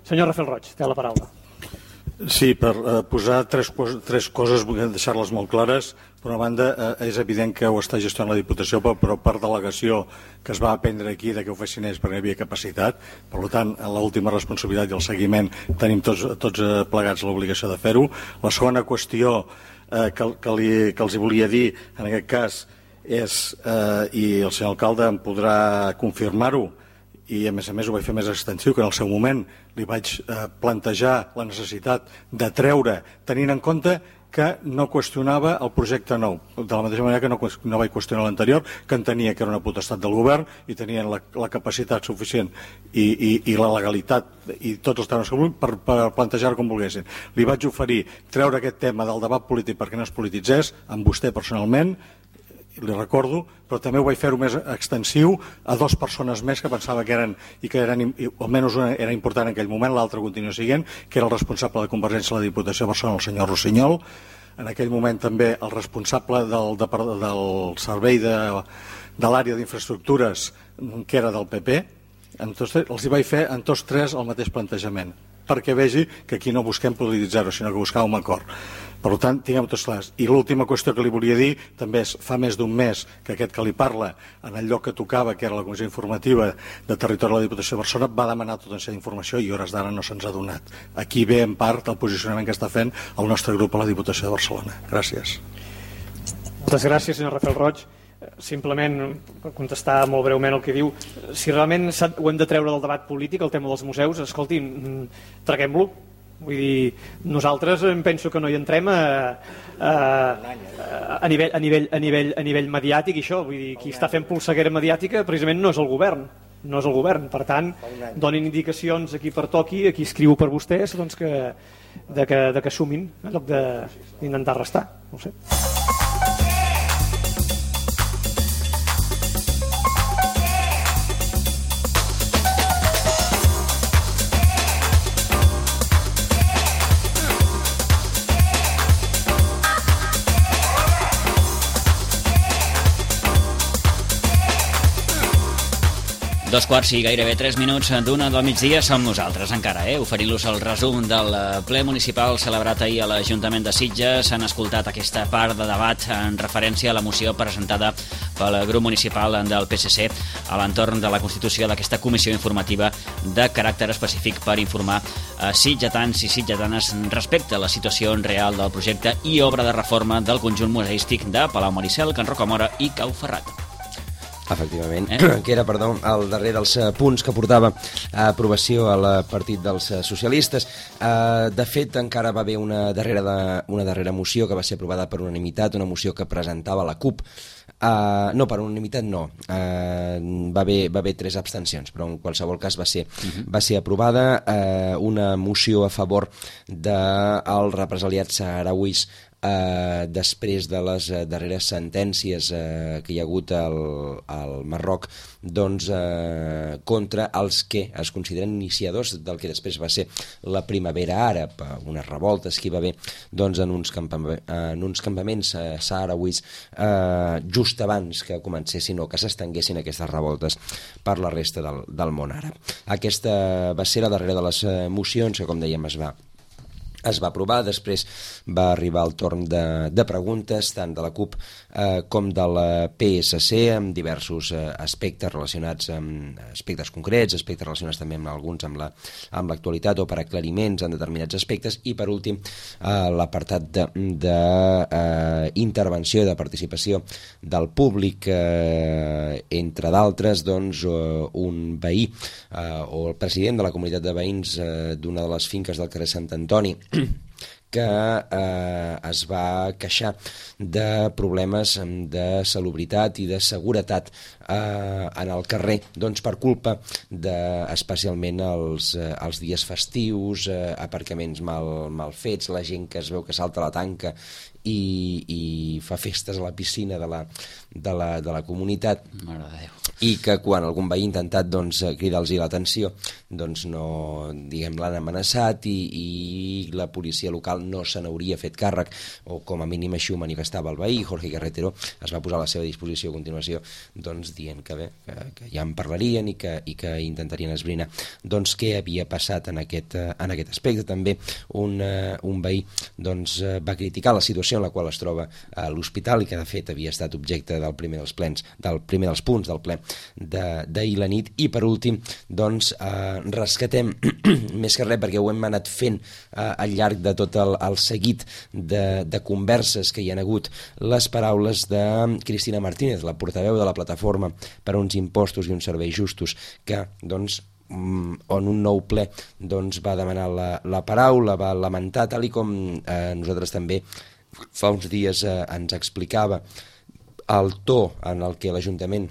[SPEAKER 4] senyor Rafael Roig, té la paraula.
[SPEAKER 9] Sí, per eh, posar tres, tres coses, vull deixar-les molt clares. Per una banda, eh, és evident que ho està gestionant la Diputació, però, però per delegació que es va aprendre aquí de que ho fessin ells perquè hi havia capacitat. Per tant, en l'última responsabilitat i el seguiment tenim tots, tots plegats l'obligació de fer-ho. La segona qüestió eh, que, que, li, que els volia dir, en aquest cas, és, eh, i el senyor alcalde em podrà confirmar-ho, i a més a més ho vaig fer més extensiu, que en el seu moment li vaig eh, plantejar la necessitat de treure, tenint en compte que no qüestionava el projecte nou, de la mateixa manera que no, no vaig qüestionar l'anterior, que entenia que era una potestat del govern i tenien la, la capacitat suficient i, i, i la legalitat i tots els temes que volien per, per plantejar com volguessin. Li vaig oferir treure aquest tema del debat polític perquè no es polititzés, amb vostè personalment, li recordo, però també ho vaig fer-ho més extensiu a dues persones més que pensava que eren, i que eren, i almenys una era important en aquell moment, l'altra continua siguent, que era el responsable de Convergència a la Diputació de Barcelona, el senyor Rossinyol, en aquell moment també el responsable del, de, del servei de, de l'àrea d'infraestructures, que era del P P, en tots, els hi vaig fer en tots tres el mateix plantejament, perquè vegi que aquí no busquem polititzar-ho, sinó que buscàvem acord. Per tant, tinguem tots clars. I l'última qüestió que li volia dir també és, fa més d'un mes que aquest que li parla, en el lloc que tocava, que era la Comissió Informativa de Territori de la Diputació de Barcelona, va demanar tota una sèrie d'informació i hores d'ara no se'ns ha donat. Aquí ve en part el posicionament que està fent el nostre grup a la Diputació de Barcelona. Gràcies.
[SPEAKER 4] Moltes gràcies, senyor Rafael Roig. Simplement, per contestar molt breument el que diu, si realment ho hem de treure del debat polític, el tema dels museus, escolti, traguem-lo. Vull dir, nosaltres em penso que no hi entrem a, a, a, nivell, a, nivell, a, nivell, a nivell mediàtic i això, vull dir, qui està fent polseguera mediàtica precisament no és el govern, no és el govern, per tant, donin indicacions a qui pertoqui, a qui escriu per vostès, doncs que, de que, de que sumin, en lloc d'intentar restar, no ho sé.
[SPEAKER 1] Dos quarts i gairebé tres minuts d'una del migdia som nosaltres encara, eh? oferint-los el resum del ple municipal celebrat ahir a l'Ajuntament de Sitges. Han escoltat aquesta part de debat en referència a la moció presentada pel grup municipal del P S C a l'entorn de la constitució d'aquesta comissió informativa de caràcter específic per informar a sitgetans i sitgetanes respecte a la situació real del projecte i obra de reforma del conjunt museístic de Palau Maricel, Can Rocamora i Cau Ferrat.
[SPEAKER 2] Efectivament, eh? que era, perdó, el darrer dels punts que portava a aprovació al Partit dels Socialistes. De fet, encara va haver una darrera, de, una darrera moció que va ser aprovada per unanimitat, una moció que presentava la CUP. Uh, no, per unanimitat no. Uh, va, haver, va haver tres abstencions, però en qualsevol cas va ser, uh-huh. va ser aprovada uh, una moció a favor dels represaliats saharauis Uh, després de les uh, darreres sentències uh, que hi ha hagut al, al Marroc, doncs, uh, contra els que es consideren iniciadors del que després va ser la primavera àrab, uh, unes revoltes que hi va haver doncs, en, uns campam- en uns campaments uh, saharauis uh, just abans que comencessin o que s'estenguessin aquestes revoltes per la resta del, del món àrab. Aquesta va ser la darrera de les uh, mocions que, com dèiem, es va es va aprovar. Després va arribar el torn de, de preguntes tant de la CUP eh, com de la P S C amb diversos eh, aspectes relacionats amb aspectes concrets, aspectes relacionats també amb alguns amb la, amb l'actualitat o per aclariments en determinats aspectes, i per últim eh, l'apartat de, de eh, intervenció, de participació del públic, eh, entre d'altres doncs, eh, un veí eh, o el president de la comunitat de veïns eh, d'una de les finques del carrer Sant Antoni que eh, es va queixar de problemes de salubritat i de seguretat eh, en el carrer, doncs per culpa de, especialment els, eh, els dies festius, eh, aparcaments mal, mal fets, la gent que es veu que salta la tanca i, i fa festes a la piscina de la, de la, de la comunitat.
[SPEAKER 1] Mare de Déu.
[SPEAKER 2] I que quan algun veí ha intentat doncs, cridar-los l'atenció, doncs no, diguem, l'han amenaçat i, i la policia local no se n'hauria fet càrrec, o com a mínim així ho manifestava el veí. Jorge Carretero es va posar a la seva disposició a continuació, doncs dient que bé, que, que ja en parlarien i que, i que intentarien esbrinar doncs què havia passat en aquest, en aquest aspecte. També un, uh, un veí doncs, uh, va criticar la situació en la qual es troba a l'hospital i que de fet havia estat objecte del primer dels plens, del primer dels punts del ple d'ahir la nit. I per últim doncs eh, rescatem més que res, perquè ho hem anat fent eh, al llarg de tot el, el seguit de, de converses que hi ha hagut, les paraules de Cristina Martínez, la portaveu de la plataforma per uns impostos i uns serveis justos, que doncs on un nou ple doncs, va demanar la, la paraula, va lamentar, tal i com eh, nosaltres també fa uns dies eh, ens explicava el to en el que l'Ajuntament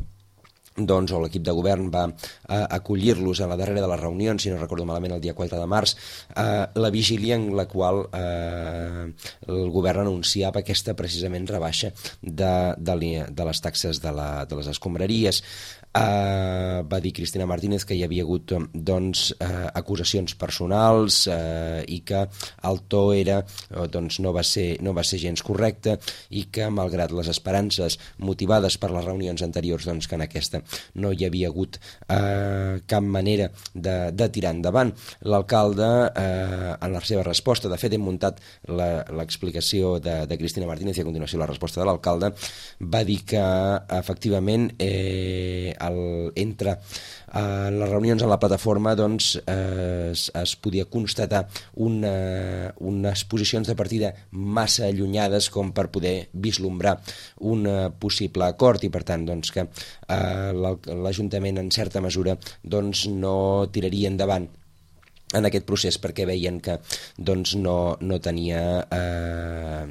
[SPEAKER 2] doncs, o l'equip de govern va eh, acollir-los a la darrera de les reunions, si no recordo malament el dia quatre de març, eh, la vigília en la qual eh, el govern anunciava aquesta precisament rebaixa de, de, de les taxes de, la, de les escombraries. Uh, va dir Cristina Martínez que hi havia hagut doncs, uh, acusacions personals uh, i que el to era, uh, doncs, no, va ser, no va ser gens correcte, i que malgrat les esperances motivades per les reunions anteriors, doncs, que en aquesta no hi havia hagut uh, cap manera de, de tirar endavant. L'alcalde uh, en la seva resposta, de fet hem muntat l'explicació de, de Cristina Martínez i a continuació la resposta de l'alcalde, va dir que efectivament eh, El, entre uh, les reunions en la plataforma doncs, eh, es, es podia constatar una, unes posicions de partida massa allunyades com per poder vislumbrar un uh, possible acord, i per tant doncs, que uh, l'Ajuntament en certa mesura doncs, no tiraria endavant en aquest procés perquè veien que doncs, no, no tenia eh,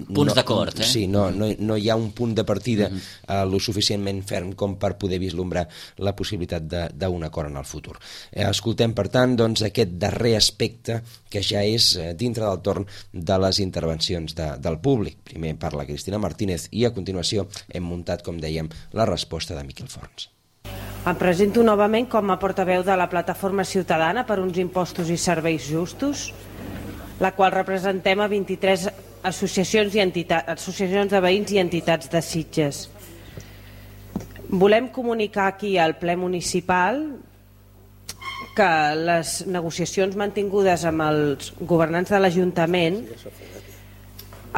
[SPEAKER 1] punts
[SPEAKER 2] no,
[SPEAKER 1] d'acord, eh?
[SPEAKER 2] Sí, no, no, no hi ha un punt de partida eh, lo suficientment ferm com per poder vislumbrar la possibilitat d'un acord en el futur. Eh, escoltem, per tant, doncs, aquest darrer aspecte que ja és eh, dintre del torn de les intervencions de, del públic. Primer parla Cristina Martínez i a continuació hem muntat, com dèiem, la resposta de Miquel Forns.
[SPEAKER 10] Em presento novament com a portaveu de la Plataforma Ciutadana per uns impostos i serveis justos, la qual representem a vint-i-tres associacions, i entitats, associacions de veïns i entitats de Sitges. Volem comunicar aquí al ple municipal que les negociacions mantingudes amb els governants de l'Ajuntament,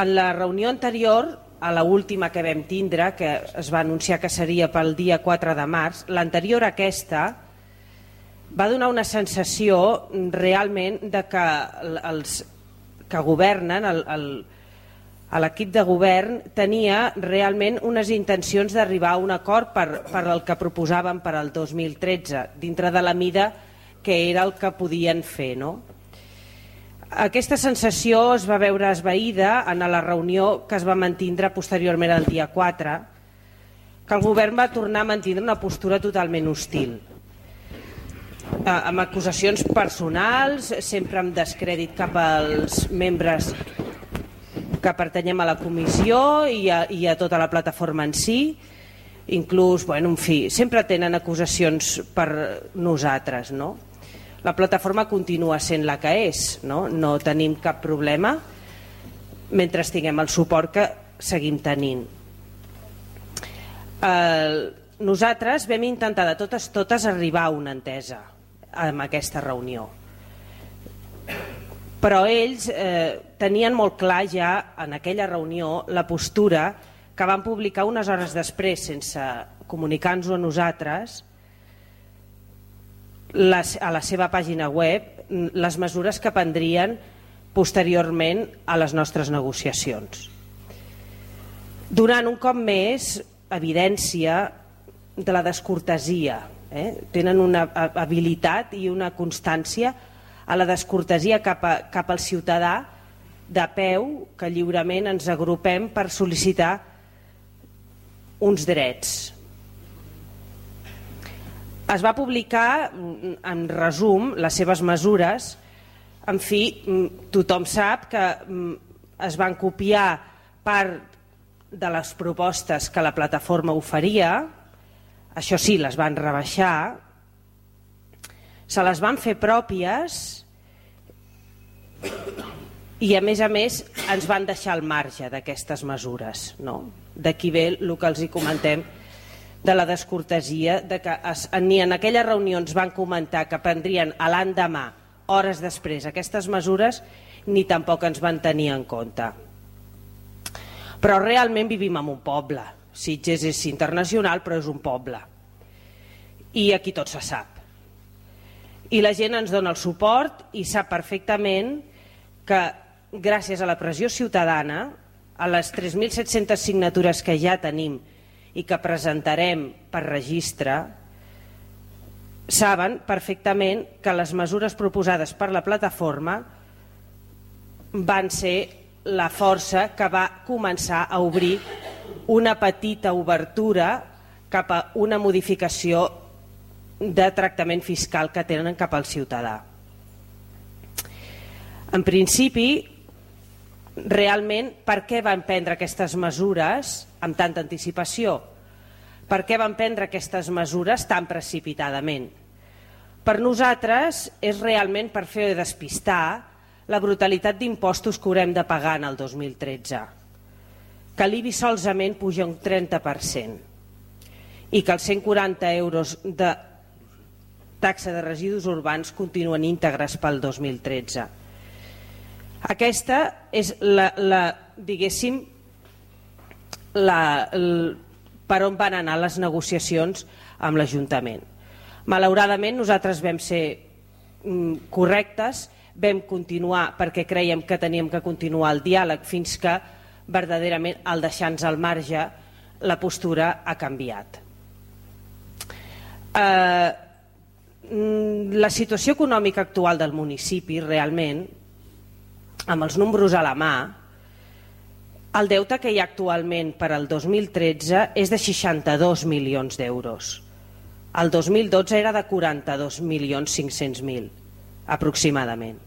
[SPEAKER 10] en la reunió anterior, a l'última que vam tindre, que es va anunciar que seria pel dia quatre de març, l'anterior a aquesta va donar una sensació realment de que els que governen, el, el, l'equip de govern, tenia realment unes intencions d'arribar a un acord per, per el que proposaven per al dos mil tretze, dintre de la mida que era el que podien fer, no? Aquesta sensació es va veure esvaïda en la reunió que es va mantindre posteriorment el dia quatre, que el govern va tornar a mantindre una postura totalment hostil, amb acusacions personals, sempre amb descrèdit cap als membres que pertanyem a la comissió i a, i a tota la plataforma en si. Inclús, bueno, en fi, sempre tenen acusacions per nosaltres, no? La plataforma continua sent la que és, no? No tenim cap problema mentre tinguem el suport que seguim tenint. Eh, nosaltres vam intentar de totes totes arribar a una entesa en aquesta reunió, però ells eh, tenien molt clar ja en aquella reunió la postura que van publicar unes hores després, sense comunicar-nos a nosaltres, les, a la seva pàgina web, les mesures que prendrien posteriorment a les nostres negociacions, donant un cop més evidència de la descortesia. Eh? Tenen una habilitat i una constància a la descortesia cap, a, cap al ciutadà de peu, que lliurement ens agrupem per sol·licitar uns drets. Es va publicar, en resum, les seves mesures. En fi, tothom sap que es van copiar part de les propostes que la plataforma oferia. Això sí, les van rebaixar, se les van fer pròpies i a més a més ens van deixar al marge d'aquestes mesures, no? D'aquí ve el que els hi comentem de la descortesia, de que es, ni en aquella reunió ens van comentar que prendrien a l'endemà, hores després, aquestes mesures, ni tampoc ens van tenir en compte. Però realment vivim en un poble. Sitges és internacional, però és un poble. I aquí tot se sap. I la gent ens dona el suport i sap perfectament que gràcies a la pressió ciutadana, a les tres mil set-centes signatures que ja tenim i que presentarem per registre, saben perfectament que les mesures proposades per la plataforma van ser la força que va començar a obrir una petita obertura cap a una modificació de tractament fiscal que tenen cap al ciutadà. En principi, realment, per què van prendre aquestes mesures amb tanta anticipació? Per què van prendre aquestes mesures tan precipitadament? Per nosaltres és realment per fer despistar la brutalitat d'impostos que haurem de pagar en el dos mil tretze. Que l'I B I solament puja un trenta per cent i que els cent quaranta euros de taxa de residus urbans continuen íntegres pel dos mil tretze. Aquesta és la, la diguéssim, la, el, per on van anar les negociacions amb l'Ajuntament. Malauradament nosaltres vam ser mm, correctes, vam continuar perquè creiem que teníem que continuar el diàleg fins que verdaderament al deixar-nos al marge la postura ha canviat. Eh, la situació econòmica actual del municipi realment, amb els números a la mà, el deute que hi ha actualment per al dos mil tretze és de seixanta-dos milions d'euros. El dos mil dotze era de quaranta-dos milions cinc-cents mil, aproximadament.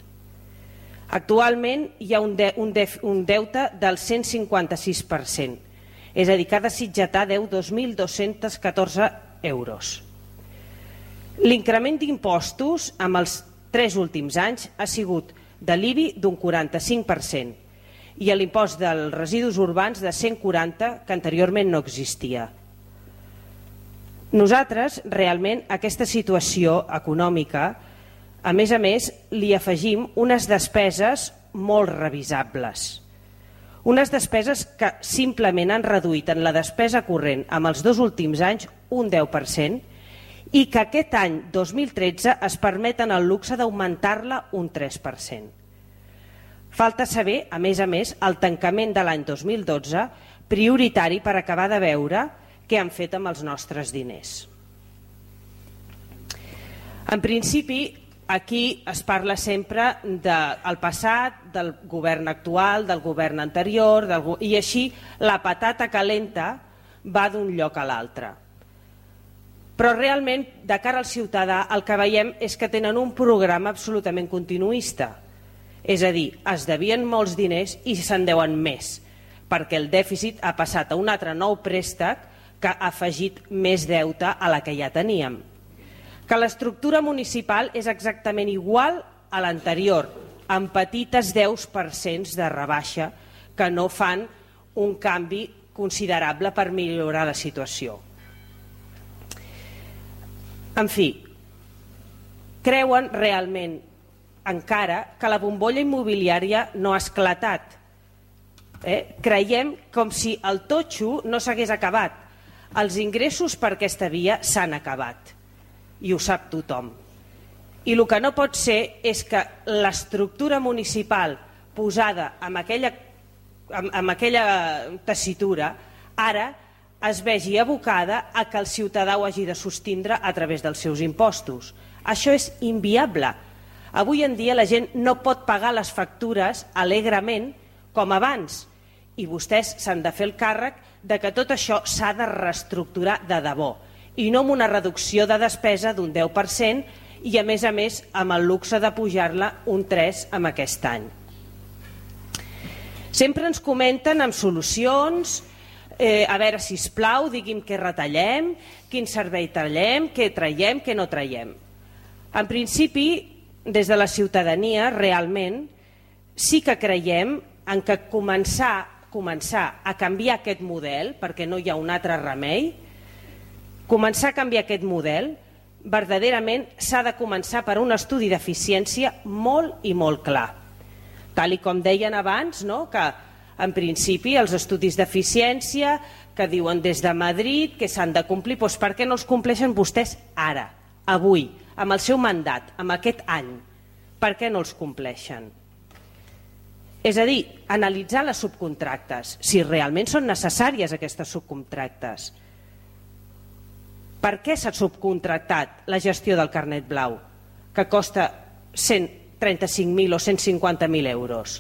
[SPEAKER 10] Actualment hi ha un, de, un, def, un deute del cent cinquanta-sis per cent, és a dir, que ha de sitgetar deu dos mil dos-cents catorze euros. L'increment d'impostos amb els tres últims anys ha sigut de l'I B I d'un quaranta-cinc per cent i l'impost dels residus urbans de cent quaranta, que anteriorment no existia. Nosaltres, realment, a aquesta situació econòmica, a més a més, li afegim unes despeses molt revisables. Unes despeses que simplement han reduït en la despesa corrent amb els dos últims anys un deu per cent i que aquest any dos mil tretze es permeten el luxe d'augmentar-la un tres per cent. Falta saber, a més a més, el tancament de l'any dos mil dotze, prioritari per acabar de veure què han fet amb els nostres diners. En principi, aquí es parla sempre del passat, del govern actual, del govern anterior, del, i així la patata calenta va d'un lloc a l'altre. Però realment, de cara al ciutadà, el que veiem és que tenen un programa absolutament continuista. És a dir, es devien molts diners i se'n deuen més, perquè el dèficit ha passat a un altre nou préstec que ha afegit més deute a la que ja teníem. Que l'estructura municipal és exactament igual a l'anterior, amb petites deu per cent de rebaixa que no fan un canvi considerable per millorar la situació. En fi, creuen realment encara que la bombolla immobiliària no ha esclatat. Eh? Creiem com si el totxo no s'hagués acabat. Els ingressos per aquesta via s'han acabat i ho sap tothom. I el que no pot ser és que l'estructura municipal posada amb aquella, amb, amb aquella tessitura ara es vegi abocada a que el ciutadà ho hagi de sostindre a través dels seus impostos. Això és inviable. Avui en dia la gent no pot pagar les factures alegrement com abans i vostès s'han de fer el càrrec de que tot això s'ha de reestructurar de debò i no amb una reducció de despesa d'un deu per cent i a més a més amb el luxe de pujar-la un tres per cent amb aquest any. Sempre ens comenten amb solucions, eh, a veure, sisplau, digui'm què retallem, quin servei tallem, què traiem, què no traiem. En principi, des de la ciutadania, realment, sí que creiem en que començar començar a canviar aquest model, perquè no hi ha un altre remei, començar a canviar aquest model, verdaderament s'ha de començar per un estudi d'eficiència molt i molt clar. Tal i com deien abans, no? Que en principi els estudis d'eficiència que diuen des de Madrid que s'han de complir, doncs per què no els compleixen vostès ara, avui, amb el seu mandat, amb aquest any? Per què no els compleixen? És a dir, analitzar les subcontractes, si realment són necessàries aquestes subcontractes. Per què s'ha subcontractat la gestió del carnet blau, que costa cent trenta-cinc mil o cent cinquanta mil euros?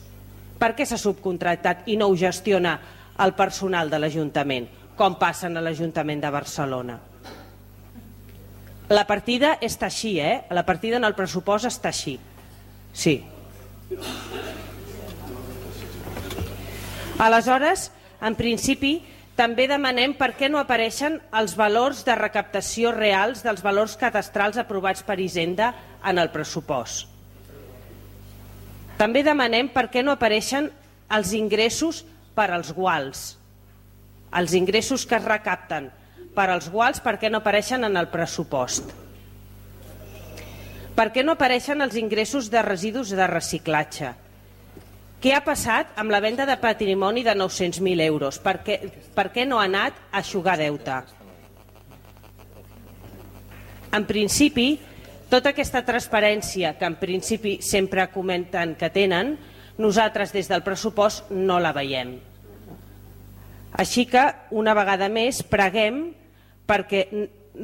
[SPEAKER 10] Per què s'ha subcontractat i no ho gestiona el personal de l'Ajuntament, com passa a l'Ajuntament de Barcelona? La partida està així, eh? La partida en el pressupost està així. Sí. Aleshores, en principi, també demanem per què no apareixen els valors de recaptació reals dels valors cadastrals aprovats per Hisenda en el pressupost. També demanem per què no apareixen els ingressos per als guals. Els ingressos que es recapten per als guals, per què no apareixen en el pressupost? Per què no apareixen els ingressos de residus de reciclatge? Què ha passat amb la venda de patrimoni de nou-cents mil euros? Per què, per què no ha anat a eixugar deute? En principi, tota aquesta transparència que en principi sempre comenten que tenen, nosaltres des del pressupost no la veiem. Així que, una vegada més, preguem perquè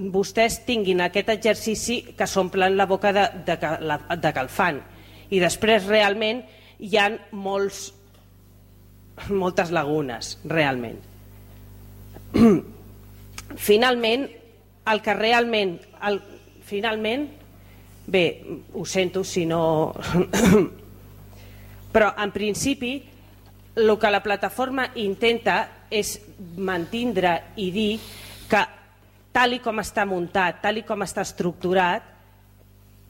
[SPEAKER 10] vostès tinguin aquest exercici que s'omplen la boca de, de, de que el fan. I després realment hi ha molts, moltes lagunes, realment. Finalment, el que realment... El, finalment, bé, ho sento si no... Però, en principi, el que la plataforma intenta és mantindre i dir que tal i com està muntat, tal i com està estructurat,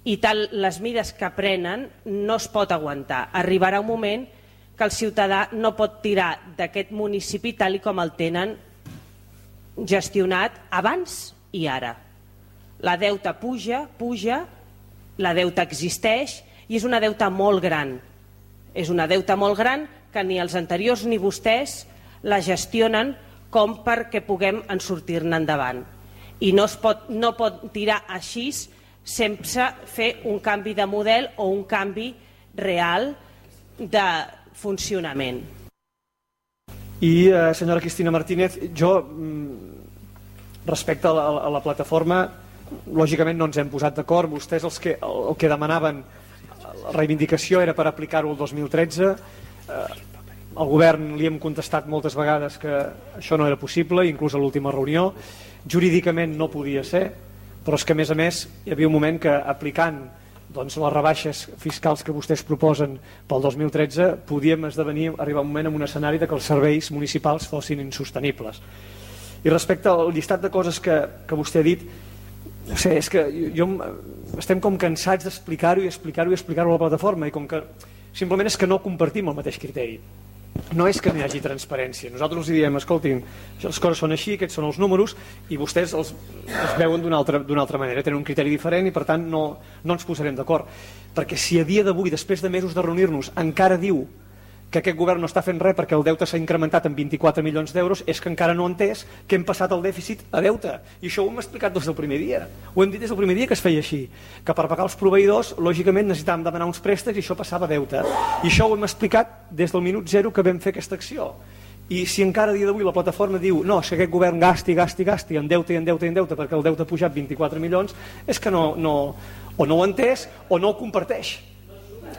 [SPEAKER 10] i tal les mides que prenen no es pot aguantar. Arribarà un moment que el ciutadà no pot tirar d'aquest municipi tal i com el tenen gestionat abans i ara. La deuta puja, puja, la deuta existeix i és una deuta molt gran. És una deuta molt gran que ni els anteriors ni vostès la gestionen com perquè puguem en sortir-ne endavant. I no es pot, no pot tirar així sense fer un canvi de model o un canvi real de funcionament.
[SPEAKER 4] I, eh, senyora Cristina Martínez, jo, respecte a la, a la plataforma, lògicament no ens hem posat d'acord. Vostès els que, el, el que demanaven, la reivindicació era per aplicar-ho el dos mil tretze. Eh, al govern li hem contestat moltes vegades que això no era possible, inclús a l'última reunió. Jurídicament no podia ser, però és que a més a més hi havia un moment que aplicant doncs, les rebaixes fiscals que vostès proposen pel dos mil tretze podíem esdevenir, arribar un moment en un escenari de que els serveis municipals fossin insostenibles. I respecte al llistat de coses que, que vostè ha dit, no sé, és que jo, estem com cansats d'explicar-ho i explicar-ho i explicar-ho a la plataforma, i com que simplement és que no compartim el mateix criteri. No és que no hi hagi transparència. Nosaltres els diem, escoltin, les coses són així, aquests són els números, i vostès els, els veuen d'una altra, d'una altra manera, tenen un criteri diferent i per tant no, no ens posarem d'acord. Perquè si a dia d'avui, després de mesos de reunir-nos, encara diu que aquest govern no està fent res perquè el deute s'ha incrementat en vint-i-quatre milions d'euros, és que encara no ha entès que hem passat el dèficit a deute. I això ho hem explicat des del primer dia. Ho hem dit des del primer dia que es feia així. Que per pagar els proveïdors, lògicament, necessitàvem demanar uns préstecs i això passava a deute. I això ho hem explicat des del minut zero que vam fer aquesta acció. I si encara a dia d'avui la plataforma diu no, és que aquest govern gasti, gasti, gasti en deute i en deute i en deute perquè el deute ha pujat vint-i-quatre milions, és que no, no, o no ho ha entès o no ho comparteix.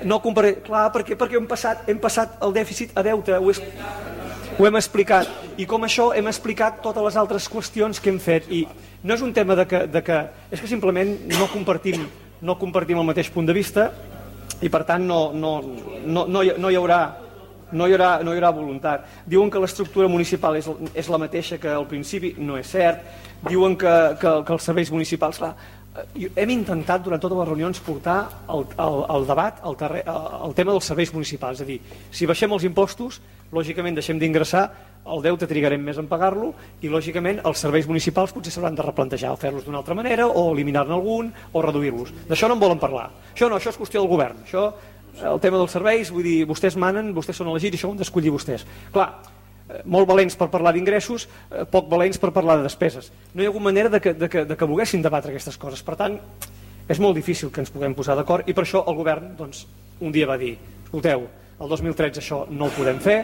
[SPEAKER 4] No compare... Clar, perquè, perquè hem, passat, hem passat el dèficit a deute, ho, és... ho hem explicat, i com això hem explicat totes les altres qüestions que hem fet, i no és un tema de que, de que... és que simplement no compartim, no compartim el mateix punt de vista, i per tant no, no, no, no, hi, no, hi haurà, no, hi haurà, no hi haurà voluntat. Diuen que l'estructura municipal és, és la mateixa que al principi, no és cert. Diuen que, que, que els serveis municipals... Clar, hem intentat durant totes les reunions portar el, el, el debat al terre, el tema dels serveis municipals, és a dir, si baixem els impostos, lògicament deixem d'ingressar, el deute trigarem més en pagar-lo i lògicament els serveis municipals potser s'hauran de replantejar o fer-los d'una altra manera o eliminar-ne algun o reduir-los. D'això no en volen parlar. Això no, això és qüestió del govern. Això, el tema dels serveis, vull dir, vostès manen, vostès són elegits i això ho han d'escollir vostès. Clar, molt valents per parlar d'ingressos, poc valents per parlar de despeses. No hi ha hagut manera de que, de que, de que volguessin debatre aquestes coses. Per tant, és molt difícil que ens puguem posar d'acord i per això el govern doncs, un dia va dir, escolteu, el dos mil tretze això no ho podem fer,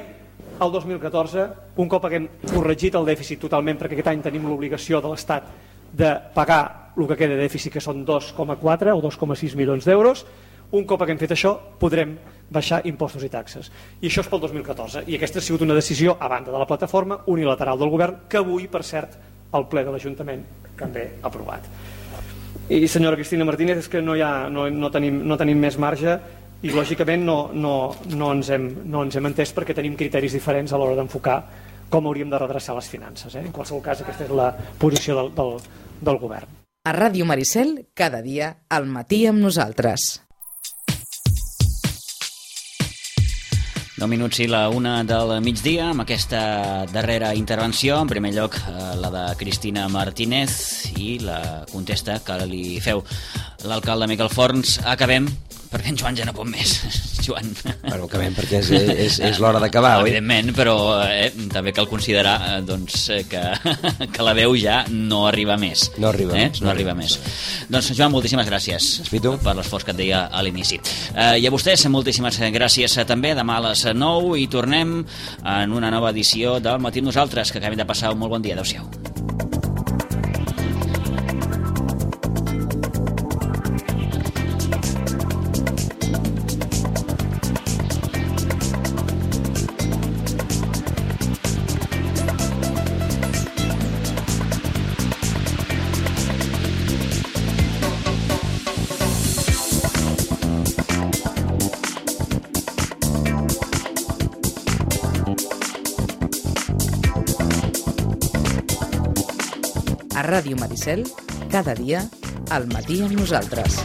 [SPEAKER 4] el dos mil catorze, un cop haguem corregit el dèficit totalment, perquè aquest any tenim l'obligació de l'Estat de pagar el que queda de dèficit, que són dos coma quatre o dos coma sis milions d'euros, un cop haguem fet això podrem baixar impostos i taxes. I això és pel dos mil catorze. I aquesta ha sigut una decisió, a banda de la plataforma, unilateral del govern, que avui, per cert, el ple de l'Ajuntament també ha aprovat. I senyora Cristina Martínez, és que no, hi ha, no, no, tenim, no tenim més marge i lògicament no, no, no, ens hem, no ens hem entès perquè tenim criteris diferents a l'hora d'enfocar com hauríem de redreçar les finances. Eh? En qualsevol cas, aquesta és la posició del, del, del govern.
[SPEAKER 11] A Ràdio Maricel, cada dia, al matí amb nosaltres.
[SPEAKER 1] Nou minuts i la una del migdia amb aquesta darrera intervenció. En primer lloc, la de Cristina Martínez i la contesta que li feu l'alcalde Miquel Forns. Acabem, perquè en Joan ja no pot més. Joan.
[SPEAKER 2] Bueno, acabem perquè és, és, és l'hora d'acabar, oi?
[SPEAKER 1] Evidentment, però eh, també cal considerar eh, doncs, que, que la veu ja no arriba més.
[SPEAKER 2] No arriba,
[SPEAKER 1] eh?
[SPEAKER 2] no
[SPEAKER 1] no arriba
[SPEAKER 2] arriba
[SPEAKER 1] més. Doncs, Joan, moltíssimes gràcies per l'esforç que et deia a l'inici. Eh, I a vostès, moltíssimes gràcies també. Demà a les nou i tornem en una nova edició del Matí amb Nosaltres. Que acabem de passar un molt bon dia. Adéu-siau.
[SPEAKER 11] A Ràdio Maricel, cada dia, al matí amb nosaltres.